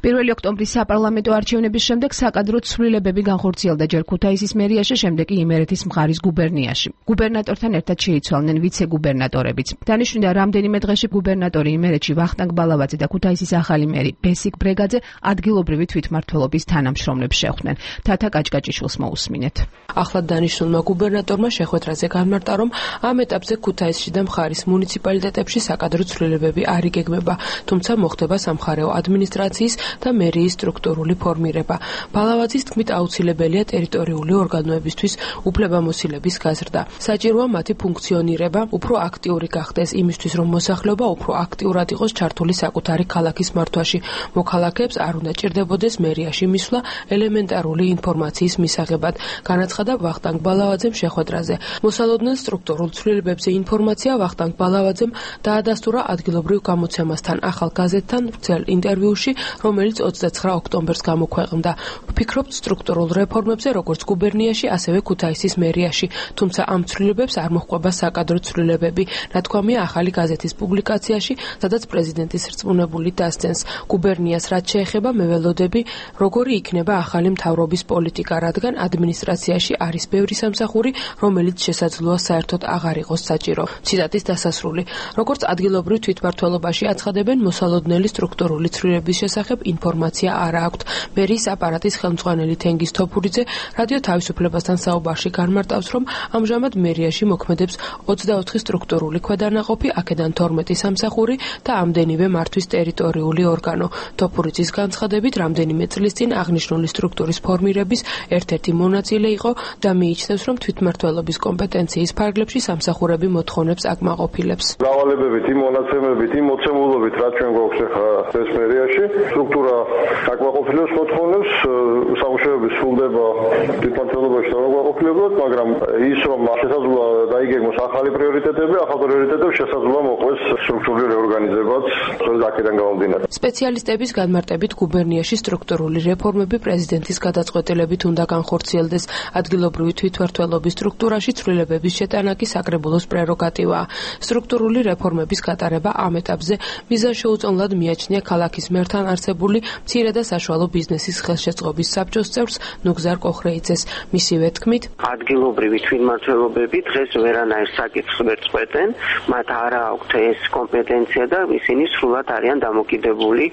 1 ოქტომბრის საპარლამენტო არჩევნების შემდეგ საკადრო ცვლილებები განხორციელდა ჯერ ქუთაისის მერიაში, შემდეგ კი იმერეთის მხარის გუბერნიაში. გუბერნატორთან ერთად შეიცვალნენ ვიცე-გუბერნატორებიც. დანიშნულია, რამდენიმე დღეში გუბერნატორი იმერეთში ვახტანგ ბალავაძე და ქუთაისის ახალი მერი ბესიკ ბრეგაძე ადგილობრივი თვითმმართველობის თანამშრომლებს შეხვდნენ. თათა კაჭკაჭიშვილს მოусმინეთ. ახლად დანიშნულმა გუბერნატორმა შეხვედრაზე განმარტა, რომ ამ ეტაპზე ქუთაისში და მხარის მუნიციპალიტეტებში საკადრო ცვლილებები არ იგეგმება, თუმცა მოხდება სამხარეო ადმინისტრაციის და მერიის სტრუქტურული ფორმირება. ბალავაძის თქმით, აუცილებელია ტერიტორიული ორგანოებისთვის უფლებამოსილების გაზრდა. საჭიროა მათი ფუნქციონირება უფრო აქტიური გახდეს იმისთვის, რომ მოსახლეობა უფრო აქტიურად იყოს ჩართული საკუთარი ქალაქის მართვაში. მოქალაქეებს არ უნდა ჭირდებოდეს მერიაში მისვლა ელემენტარული ინფორმაციის მისაღებად, განაცხადა ვახტანგ ბალავაძემ შეხვედრაზე. მოსალოდნელ სტრუქტურულ ცვლილებებზე ინფორმაცია ვახტანგ ბალავაძემ დაადასტურა ადგილობრივ გამოცემასთან ახალ გაზეთთან ვრცელ ინტერვიუში, რომელიც 29 ოქტომბერს გამოქვეყნდა. ვფიქრობთ სტრუქტურულ რეფორმებზე, როგორც გუბერნიაში, ასევე ქუთაისის მერიაში, თუმცა ამ ცვლილებებს არ მოჰყვება საკადრო ცვლილებები. ნათქვამია ახალი გაზეთის პუბლიკაციაში, სადაც პრეზიდენტის რწმუნებული დასცენს. გუბერნიას რაც შეეხება, მე ველოდები, როგორი იქნება ახალი მთავრობის პოლიტიკა, რადგან ადმინისტრაციაში არის ბევრი სამსახური, რომელიც შესაძლოა საერთოდ აღარ იყოს საჭირო. ციტატის დასასრული. როგორც ადგილობრივ თვითმმართველობაში აცხადებენ, მოსალოდნელი სტრუქტურული ცვლილებების შესახებ ინფორმაცია არ აქვთ. მერიის აპარატის ხელმძღვანელი თენგიზ თოფურიძე რადიო თავისუფლებასთან საუბარში განმარტავს, რომ ამჟამად მერიაში მოქმედებს 24 სტრუქტურული ქვედანაყოფი, აქედან 12 სამსახური და ამდენივე მართვის ტერიტორიული ორგანო. თოფურიძის განცხადებით, რამდენიმე წლის წინ აღნიშნული სტრუქტურის ფორმირების ერთ-ერთი მონაწილე იყო და მიიჩნევს, რომ თვითმმართველობის კომპეტენციის ფარგლებში სამსახურები მოთხოვნებს აკმაყოფილებს. დავალებებით, იმ მონაცემებით, იმ მოცემულობით, რაც ჩვენ გვაქვს ახლა ეს მერიაში, სტრუქტურა აკმაყოფილებს მოთხოვნებს, სამუშაოები სრულდება თვითმმართველობაში აკმაყოფილებულად, მაგრამ ის რომ შესაძლოა დაიგეგმოს ახალი პრიორიტეტები, ახალ პრიორიტეტებს შესაძლოა მოყვეს სტრუქტურული რეორგანიზებაც, აქედან გამომდინარე. სპეციალისტების განმარტებით, გუბერნიაში სტრუქტურული რეფორმები პრეზიდენტის გადაწყვეტილებით უნდა განხორციელდეს. ადგილობრივი თვითმმართველობის სტრუქტურაში ცვლილებების შეტანა კი საკრებულოს პრეროგატივაა. სტრუქტურული რეფორმების გატარება ამ ეტაპზე მიზანშეუწონლად მიაჩნია ქალაქის მერთან არსებული მცირე და საშუალო ბიზნესის ხელშეწყობის საბჭოს წევრს ნუგზარ კოხრეიძეს. მისივე თქმით, ადგილობრივი თვითმმართველობები დღეს ვერანაირ საკითხს ვერ წყვეტენ, მათ არ აქვთ ეს კომპეტენცია და ისინი სრულად არიან დამოკიდებული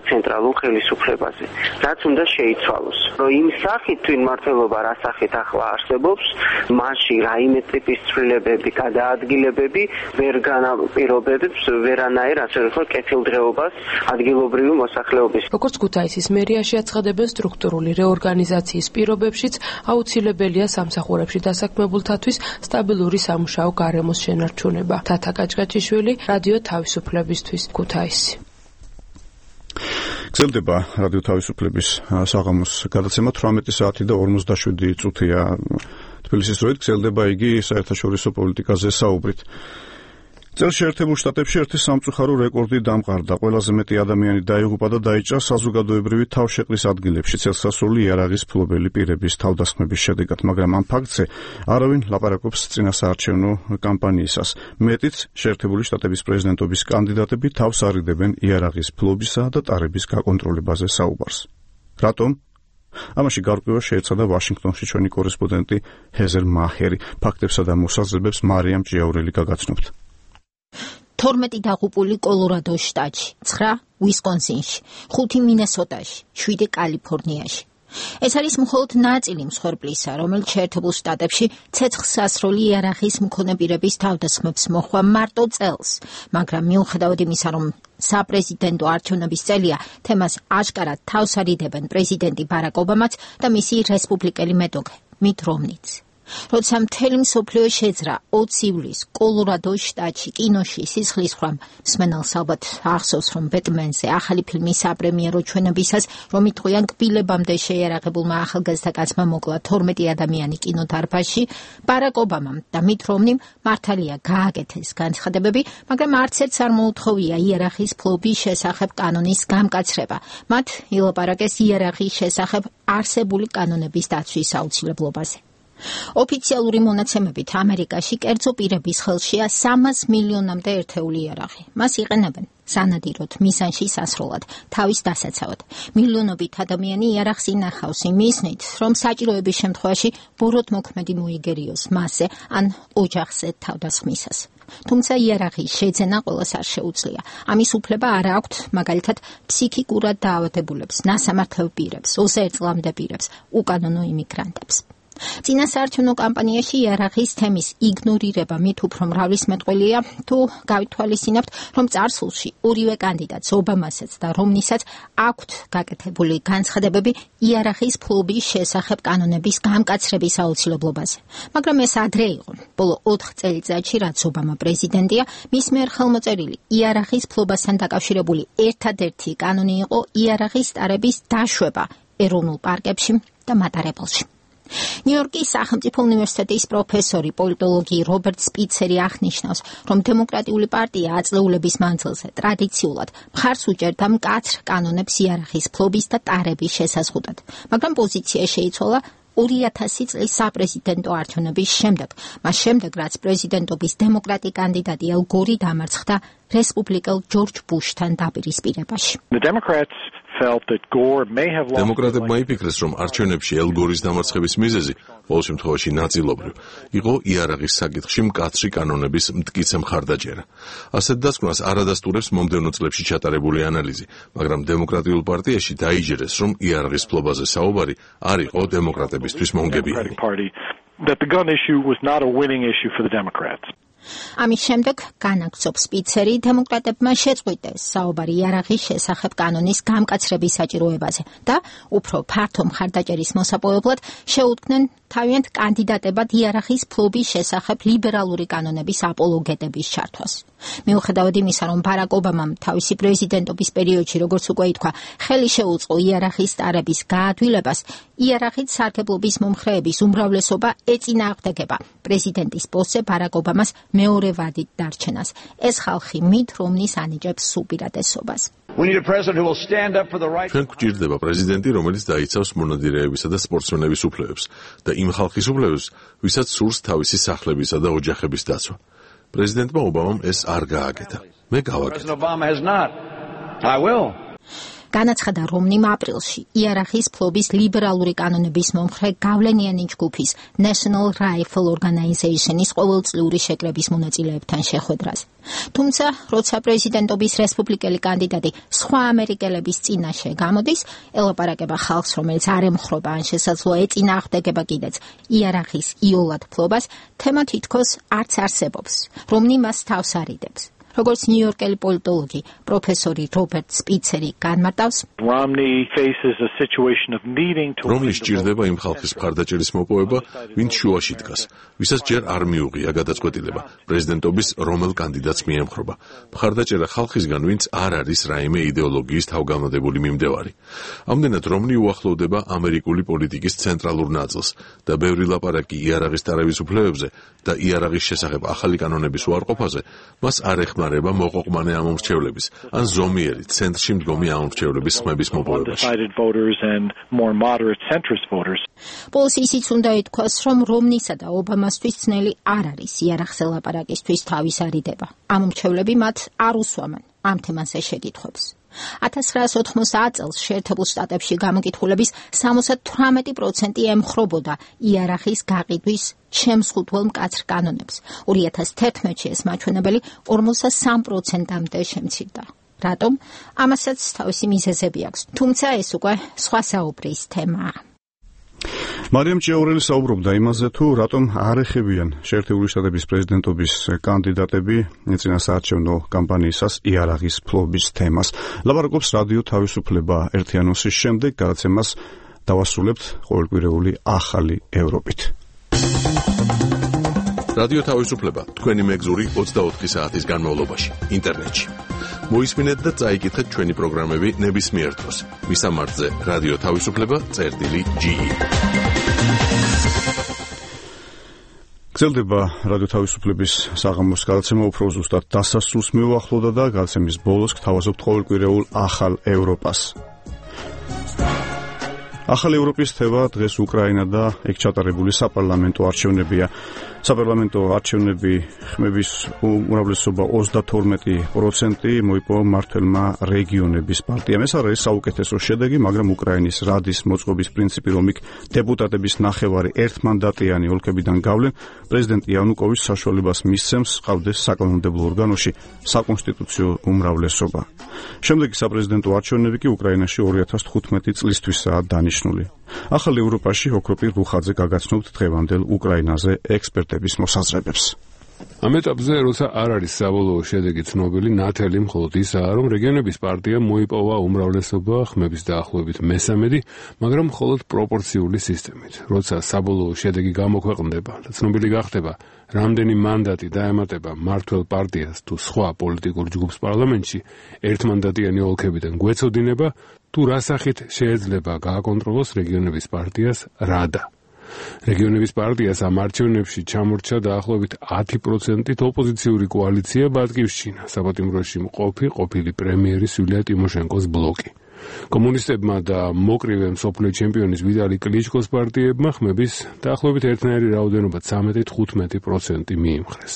ცენტრალურ ხელისუფლებაზე. რაც უნდა შეიცვალოს. რომ იმ სახით თვითმმართველობა რა სახით ახლა არსებობს, მასში რაიმე ტიპის ცვლილებები, გადაადგილებები ვერ განაპირობებს ვერანაირ ასე ვთქვათ კეთილდღეობას ადგილობრივი მოსახლეობის. როგორც ქუთაისის მერიაში აცხადებენ, სტრუქტურული რეორგანიზაციის პირობებშიც აუცილებელია სამსახურებში დასაქმებულთათვის სტაბილური სამუშაო გარემოს შენარჩუნება. თათა კაჭკაჭიშვილი, რადიო თავისუფლებისთვის, ქუთაისი. გრძელდება რადიო თავისუფლების საღამოს გადაცემა 18 საათი და 57 წუთია თბილისის დროით. გრძელდება იგი საერთაშორისო პოლიტიკაზე საუბრით. წელს შეერთებულ შტატებში ერთი სამწუხარო რეკორდი დამყარდა. ყველაზე მეტი ადამიანი დაიღუპა და დაიჭრა საზოგადოებრივი თავშეყრის ადგილებში წელსასრული იარაღის ფლობელი პირების თავდასხმების შედეგად, მაგრამ ამ ფაქტზე არავინ ლაპარაკობს წინასაარჩევნო კამპანიისას. მეტიც, შეერთებული შტატების პრეზიდენტობის კანდიდატები თავს არიდებენ იარაღის ფლობისა და ტარების გაკონტროლებაზე საუბარს. რატომ? ამაში გარკვევა შეეცადა ვაშინგტონში ჩვენი კორესპონდენტი ჰეზერ მაჰერი. ფაქტებსა და მოსაზრებებს მარიამ ჭიაურელი გაგაცნობთ. 12 დაღუპული კოლორადოს შტატში, 9 უისკონსინში, 5 მინესოტაში, 7 კალიფორნიაში. ეს არის მხოლოდ ნაწილი მსხვერპლისა, რომელიც შეერთებულ შტატებში ცეცხლსასროლი იარაღის მქონე პირების თავდასხმებს მოჰყვა მარტო წელს, მაგრამ მიუხედავად იმისა, რომ საპრეზიდენტო არჩევნების წელია, თემას აშკარად თავს არიდებენ პრეზიდენტი ბარაკ ობამაც და მისი რესპუბლიკელი მეტოქე მიტ რომნიც. როცა მთელი მსოფლიო შეძრა 20 ივლისს კოლორადოს შტატში კინოში სისხლისღვრამ, მსმენელს ალბათ ახსოვს, რომ ბეტმენზე ახალი ფილმის საპრემიერო ჩვენებისას, რომ იტყვიან კბილებამდე შეიარაღებულმა ახალგაზრდა კაცმა მოკლა 12 ადამიანი კინოდარბაზში, ბარაკ ობამამ და მიტ რომნიმ მართალია გააკეთეს განცხადებები, მაგრამ არც ერთს არ მოუთხოვია იარაღის ფლობის შესახებ კანონის გამკაცრება. მათ ილაპარაკეს იარაღის შესახებ არსებული კანონების დაცვის აუცილებლობაზე. ოფიციალური მონაცემებით ამერიკაში კერძო პირების ხელშია 300 მილიონამდე ერთეული იარაღი. მას იყენებენ სანადიროდ მისანში სასრულად, თავის დასაცავად. მილიონობით ადამიანი იარაღს ინახავს იმისნით, რომ საჭიროების შემთხვევაში ბოროტმოქმედი მოიგერიოს მასზე ან ოჯახზე თავდასხმისას. თუმცა იარაღის შეძენა ყველას არ შეუძლია. ამის უფლება არ აქვთ მაგალითად ფსიქიკურად დაავადებულებს, ნასამართლელ პირებს, 21 წლამდე პირებს, უკანონო იმიგრანტებს. წინასაარჩევნო კამპანიაში იარაღის თემის იგნორირება მით უფრო მრავლის მეტყველია, თუ გავითვალისწინებთ, რომ წარსულში ორივე კანდიდატს, ობამასაც და რომნისაც აქვთ გაკეთებული განცხადებები იარაღის ფლობის შესახებ კანონების გამკაცრების აუცილებლობაზე. მაგრამ ეს ადრე იყო. ბოლო 4 წელიწადში, რაც ობამა პრეზიდენტია, მის მიერ ხელმოწერილი იარაღის ფლობასთან დაკავშირებული ერთადერთი კანონი იყო იარაღის ტარების დაშვება ეროვნულ პარკებში და მატარებელში. ნიუ-იორკის სახელმწიფო უნივერსიტეტის პროფესორი პოლიტოლოგი რობერტ სპიცერი აღნიშნავს, რომ დემოკრატიული პარტია აწლეულების მანძილზე ტრადიციულად მხარს უჭერდა მკაცრ კანონებს იარაღის ფლობის და ტარების შესაზღუდად, მაგრამ პოზიცია შეიცვალა 2000 წლის საპრეზიდენტო არჩევნების შემდეგ, მას შემდეგ, რაც პრეზიდენტობის დემოკრატი კანდიდატი ელ გორი დამარცხდა რესპუბლიკელ ჯორჯ ბუშთან დაპირისპირებაში. დემოკრატებმა იფიქრეს, რომ არჩევნებში ელ გორის დამარცხების მიზეზი, ყოველ შემთხვევაში ნაწილობრივ, იყო იარაღის საკითხში მკაცრი კანონების მტკიცე მხარდაჭერა. ასეთ დასკვნას არ ადასტურებს მომდევნო წლებში ჩატარებული ანალიზი, მაგრამ დემოკრატიულ პარტიაში დაიჯერეს, რომ იარაღის ფლობაზე საუბარი არ იყო დემოკრატებისთვის მომგებიანი. ამის შემდეგ განაგრძობს სპიცერი, დემოკრატებმა შეწყვიტეს საუბარი იარაღის შესახებ კანონის გამკაცრების საჭიროებაზე და უფრო ფართო მხარდაჭერის მოსაპოვებლად შეუდგნენ თავიანთ კანდიდატებად იარაღის ფლობის შესახებ ლიბერალური კანონების აპოლოგეტების ჩართვას. მიუხედავად იმისა, რომ ბარაკ ობამამ თავისი პრეზიდენტობის პერიოდში, როგორც უკვე ითქვა, ხელი შეუწყო იარაღის ტარების გაადვილებას, იარაღით სარგებლობის მომხრეების უმრავლესობა ეწინააღმდეგება პრეზიდენტის პოსტზე ბარაკ ობამას მეორე ვადით დარჩენას. ეს ხალხი მით რომნის ანიჭებს უპირატესობას. ჩვენ გვჭირდება პრეზიდენტი, რომელიც დაიცავს მონადირეებისა და სპორტსმენების უფლებებს და იმ ხალხის უფლებებს, ვისაც სურს თავისი სახლებისა და ოჯახების დაცვა. პრეზიდენტმა ობამამ ეს არ გააკეთა. მე გავაკეთე. განაცხადა რომნიმ აპრილში იარაღის ფლობის ლიბერალური კანონების მომხრე გავლენიანი ჯგუფის National Rifle Organization-ის ყოველწლიური შეკრების მონაწილეებთან შეხვედრას. თუმცა, როცა პრეზიდენტობის რესპუბლიკელი კანდიდატი სხვა ამერიკელების წინაშე გამოდის, ელაპარაკება ხალხს, რომელიც არ ემხრობა ან შესაძლოა ეწინააღმდეგება კიდეც იარაღის იოლად ფლობას, თემა თითქოს არც არსებობს. რომნი მას თავს არიდებს. როგორც ნიუ-იორკელი პოლიტოლოგი პროფესორი რობერტ სპიცერი განმარტავს, რომლის ჭირდება იმ ხალხის მხარდაჭერის მოპოვება, ვინც შუაში დგას, ვისაც ჯერ არ მიუღია გადაწყვეტილება პრეზიდენტობის რომელ კანდიდატს მიემხრობა. მხარდაჭერა ხალხისგან, ვინც არ არის რაიმე იდეოლოგიის თავგანოდებული მიმდევარი. ამდენად რომნი უახლოვდება ამერიკული პოლიტიკის ცენტრალურ ნაწილს და ბევრი ლაპარაკი იარაღის ტარების უფლებებზე და იარაღის შესახებ ახალი კანონების უარყოფაზე, მას არ ეხმარება მოყოყმანე ამომრჩევლების ან ზომიერი ცენტრში მდგომი ამომრჩევლების ხმების მოპოვებაში. ბოლოს ისიც უნდა ითქვას, რომ რომნისა და ობამასთვის ძნელი არ არის იარაღზე ლაპარაკისთვის თავის არიდება. ამომრჩევლები მათ არ უსვამენ ამ თემაზე შეკითხვებს. 1990 წელს შეერთებულ შტატებში გამოკითხულების 78% ემხრობოდა იარაღის გაყიდვის შემსხუთველ მკაცრ კანონებს. 2011-ში ეს მაჩვენებელი 43%-მდე შემცირდა. რატომ? ამასაც თავისი მიზეზები აქვს. თუმცა ეს უკვე სხვა საუბრის თემაა. მარიამ ჭიაურელი საუბრობდა იმაზე, თუ რატომ არ ეხებიან შეერთებული შტატების პრეზიდენტობის კანდიდატები წინასაარჩევნო კამპანიისას იარაღის ფლობის თემას. ლაპარაკობს რადიო თავისუფლება ერთიანოსის შემდეგ გადაცემას დავასრულებთ ყოველკვირეული ახალი ევროპით. რადიო თავისუფლება თქვენი მეგზური 24 საათის განმავლობაში ინტერნეტში. მოისმინეთ და წაიკითხეთ ჩვენი პროგრამები ნებისმიერ დროს. მისამართზე რადიო თავისუფლება.ge. გრძელდება რადიო თავისუფლების საღამოს გადაცემა, უფრო ზუსტად დასასრულს მიუახლოვდა და გადაცემის ბოლოს გთავაზობთ ყოველკვირეულ ახალ ევროპას. ახალი ევროპის თემა დღეს უკრაინა და ეგ ჩატარებული საპარლამენტო არჩევნებია. საპარლამენტო არჩევნები ხმების უმრავლესობა 32% მოიპოვა მმართველმა რეგიონების პარტიამ. ეს არის საუკეთესო შედეგი, მაგრამ უკრაინის რადის მოწყობის პრინციპი, რომ იქ დეპუტატების ნახევარი ერთმანდატიანი ოლქებიდან გავლენ, პრეზიდენტ იანუკოვიჩს საშუალებას მისცემს ყავდეს საკანონმდებლო ორგანოში საკონსტიტუციო უმრავლესობა. შემდეგი საპრეზიდენტო არჩევნები კი უკრაინაში 2015 წლისთვისაა დანიშნული. ახალ ევროპაში ოქროპირ რუხაძე გაგაცნობთ დღევანდელ უკრაინაზე ექსპერტების მოსაზრებებს. ამ ეტაპზე, როცა არ არის საბოლოო შედეგი ცნობილი, ნათელი მხოლოდ ისაა, რომ რეგიონების პარტიამ მოიპოვა უმრავლესობა ხმების დაახლოებით მესამედი, მაგრამ მხოლოდ პროპორციული სისტემით. როცა საბოლოო შედეგი გამოქვეყნდება და ცნობილი გახდება, რამდენი მანდატი დაემატება მმართველ პარტიას თუ სხვა პოლიტიკურ ჯგუფს პარლამენტში, ერთმანდატიანი ოლქებიდან გვეცოდინება, თუ რა სახით შეიძლება გააკონტროლოს რეგიონების პარტიას რადა. რეგიონების პარტიას ამ არჩევნებში ჩამორჩა დაახლოებით 10%-ით ოპოზიციური კოალიცია ბატკივშჩინა, საპატიმროში მყოფი ყოფილი პრემიერის იულია ტიმოშენკოს ბლოკი. კომუნისტებმა და მოკრივე მსოფლიო ჩემპიონის ვიტალი კლიჩკოს პარტიებმა ხმების დაახლოებით ერთნაირი რაოდენობა 13-15% მიიმხრეს.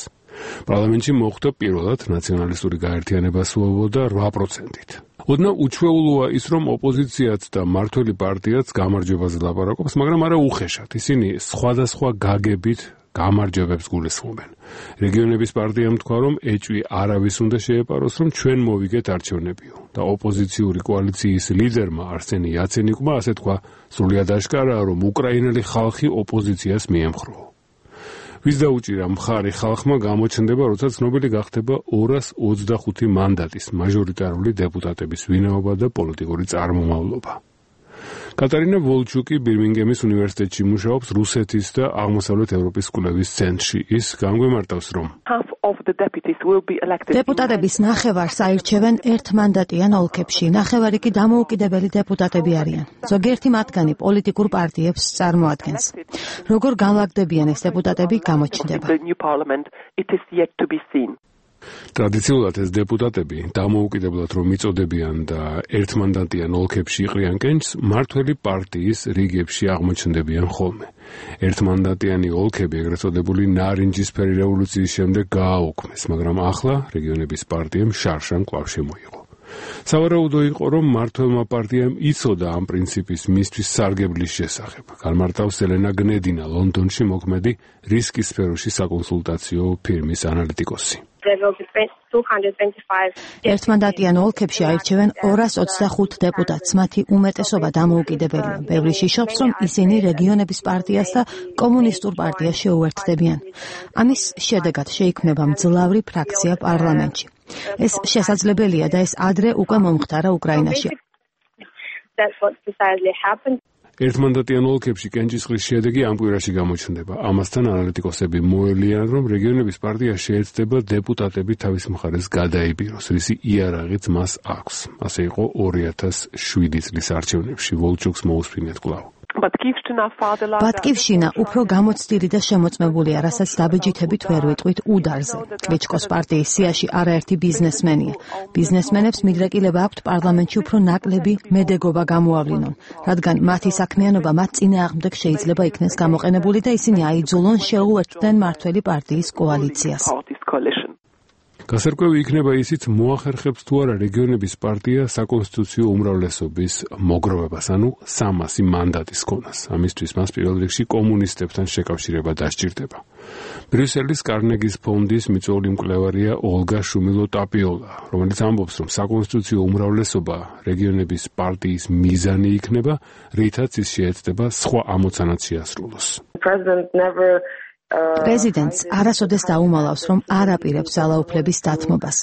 პარლამენტში მოხვდა პირველად ნაციონალისტური გაერთიანება სვობოდა 8%-ით. ოდნა უჩვეულოა ის, რომ ოპოზიციაც და მმართველი პარტიაც გამარჯვებაზე ლაპარაკობს, მაგრამ არა უხეშად. ისინი სხვადასხვა გაგებით გამარჯვებებს გულისხმობენ. რეგიონების პარტიამ თქვა, რომ ეჭვი არავის უნდა შეეპაროს, რომ ჩვენ მოვიგეთ არჩევნებიო და ოპოზიციური კოალიციის ლიდერმა არსენი იაცენიკმა ასე თქვა, სრულად აშკარაა, რომ უკრაინელი ხალხი ოპოზიციას მიემხროო. ვის დაუჭირა მხარი ხალხმა გამოჩნდება, როცა ცნობილი გახდება 225 მანდატის მაჟორიტარული დეპუტატების ვინაობა და პოლიტიკური წარმომავლობა. კატარინა ვოლჩუკი ბირმინგემის უნივერსიტეტში მუშაობს რუსეთის და აღმოსავლეთ ევროპის კვლევის ცენტრში. ის განგვიმარტავს, რომ დეპუტატების ნახევარს აირჩევენ ერთმანდატიან ოლქებში, ნახევარი კი დამოუკიდებელი დეპუტატები არიან. ზოგიერთი მათგანი პოლიტიკურ პარტიებს წარმოადგენს. როგორ განლაგდებიან ეს დეპუტატები, გამოჩნდება. ტრადიციულად ეს დეპუტატები დამოუკიდებლად რომ იწოდებიან და ერთმანდატიან ოლქებში იყრიან კენჭს, მმართველი პარტიის რიგებში აღმოჩნდებიან ხოლმე. ერთმანდატიანი ოლქები, ეგრეთ წოდებული ნარინჯისფერი რევოლუციის შემდეგ გააუქმეს, მაგრამ ახლა რეგიონების პარტიამ შარშან კვლავ შემოიღო. სავარაუდო იყო, რომ მმართველმა პარტიამ იცოდა ამ პრინციპის მისთვის სარგებლის შესახებ. განმარტავს ელენა გნედინა, ლონდონში მოქმედი რისკის სფეროში საკონსულტაციო ფირმის ანალიტიკოსი. ერთმანდატიან ოლქებში აირჩევენ 225 დეპუტატს, მათი უმეტესობა დამოუკიდებელია. ბევრი შიშობს, რომ ისინი რეგიონების პარტიას და კომუნისტურ პარტიას შეუერთდებიან. ამის შედეგად შეიქმნება მძლავრი ფრაქცია პარლამენტში. ეს შესაძლებელია და ეს ადრე უკვე მომხდარა უკრაინაში. ერთმანდატიან ოლქებში კენჭისყრის შედეგი ამ კვირაში გამოჩნდება. ამასთან ანალიტიკოსები მოელიან, რომ რეგიონების პარტია შეეცდება დეპუტატები თავის მხარეს გადაიბიროს, რისი იარაღიც მას აქვს. ასე იყო 2007 წლის არჩევნებში. ვოლჩუკს მოусვინეთ კვლავ. ბატკივშინა უფრო გამოცდილი და შემოწმებულია, რასაც დაბეჯითებით ვერ ვიტყვით უდარზე. კლიჩკოს პარტიის სიაში არაერთი ბიზნესმენია. ბიზნესმენებს მიდრეკილება აქვთ პარლამენტში უფრო ნაკლები მედეგობა გამოავლინონ, რადგან მათი საქმიანობა მათ წინააღმდეგ შეიძლება იქნეს გამოყენებული და ისინი აიძულონ შეუერთდნენ მმართველი პარტიის კოალიციას. გასარკვევი იქნება ისიც, მოახერხებს თუ არა რეგიონების პარტია საკონსტიტუციო უმრავლესობის მოგროვებას, ანუ 300 მანდატის ქონას. ამისთვის მას პირველ რიგში კომუნისტებთან შეკავშირება დასჭირდება. ბრიუსელის კარნეგის ფონდის მიწვეული მკვლევარია ოლგა შუმილო-ტაპიოლა, რომელიც ამბობს, რომ საკონსტიტუციო უმრავლესობა რეგიონების პარტიის მიზანი იქნება, რითაც ის შეეცდება სხვა ამოცანაც შეასრულოს. პრეზიდენტს არასოდეს დაუმალავს, რომ არ აპირებს ძალაუფლების დათმობას.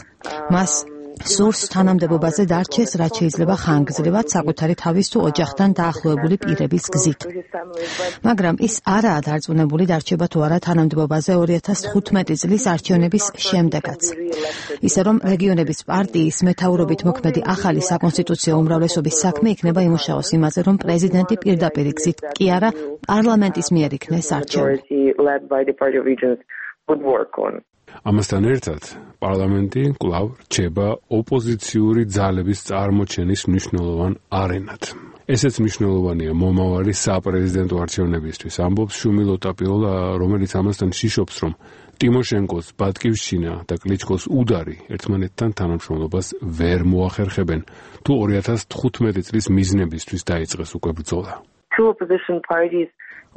მას სურს თანამდებობაზე დარჩეს, რაც შეიძლება ხანგრძლივად საკუთარი თავის თუ ოჯახთან დაახლოებული პირების გზით. მაგრამ ის არაა დარწმუნებული დარჩება თუ არა თანამდებობაზე 2015 წლის არჩევნების შემდეგაც. ისე რომ რეგიონების პარტიის მეთაურობით მოქმედი ახალი საკონსტიტუციო უმრავლესობის საქმე იქნება იმუშაოს იმაზე, რომ პრეზიდენტი პირდაპირ გზით კი არა პარლამენტის მიერ იქნეს არჩეული. ამასთან ერთად, პარლამენტი კვლავ რჩება ოპოზიციური ძალების წარმოჩენის მნიშვნელოვან არენად. ესეც მნიშვნელოვანია მომავალი საპრეზიდენტო არჩევნებისთვის. ამბობს შუმილ ოტაპიოლა, რომელიც ამასთან შიშობს, რომ ტიმოშენკოს ბატკივშჩინა და კლიჩკოს უდარი ერთმანეთთან თანამშრომლობას ვერ მოახერხებენ, თუ 2015 წლის მიზნებისთვის დაიწყეს უკვე ბრძოლა.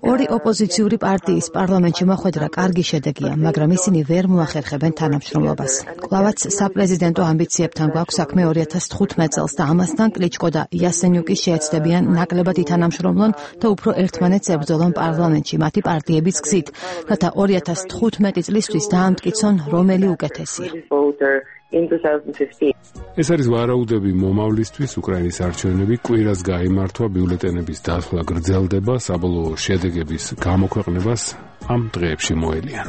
ორი ოპოზიციური პარტიის პარლამენტში მოხვედრა კარგი შედეგია, მაგრამ ისინი ვერ მოახერხებენ თანამშრომლობას. კვლავაც საპრეზიდენტო ამბიციებთან გვაქვს საქმე 2015 წელს და ამასთან კლიჩკო და იასენიუკი შეეცდებიან ნაკლებად ითანამშრომლონ და უფრო ერთმანეთს ებრძოლონ პარლამენტში მათი პარტიების გზით, რათა 2015 წლისთვის დაამტკიცონ, რომელი უკეთესია. ეს არის ვარაუდები მომავლისთვის. უკრაინის არჩევნები კვირას გაიმართვა, ბიულეტენების დასვლა გრძელდება, საბოლოო შედეგების გამოქვეყნებას ამ დღეებში მოელიან.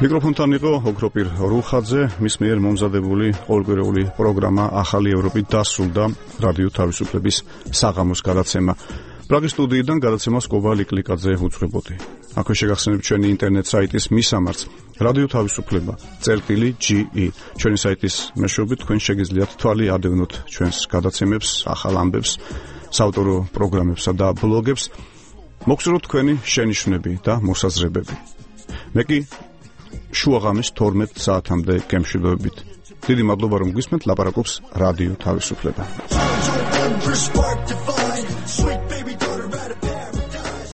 მიკროფონთან იყო ოქროპირ რუხაძე, მის მიერ მომზადებული ყოველკვირეული პროგრამა ახალი ევროპით დასრულდა რადიო თავისუფლების საღამოს გადაცემა. პრაღის სტუდიიდან გადაცემას კობალი კლიკაძე უძღვებოდი. აქვე შეგახსენებთ ჩვენი ინტერნეტ საიტის მისამართს რადიო თავისუფლება წერტილი.ge. ჩვენი საიტის მეშვეობით თქვენ შეგიძლიათ თვალი ადევნოთ ჩვენს გადაცემებს, ახალ ამბებს, საავტორო პროგრამებსა და ბლოგებს. მოგსურვოთ თქვენი შენიშვნები და მოსაზრებები. მე კი შუაღამის 12 საათამდე გემშვიდობებით. დიდი მადლობა რომ გვისმენთ, ლაპარაკობს რადიო თავისუფლება.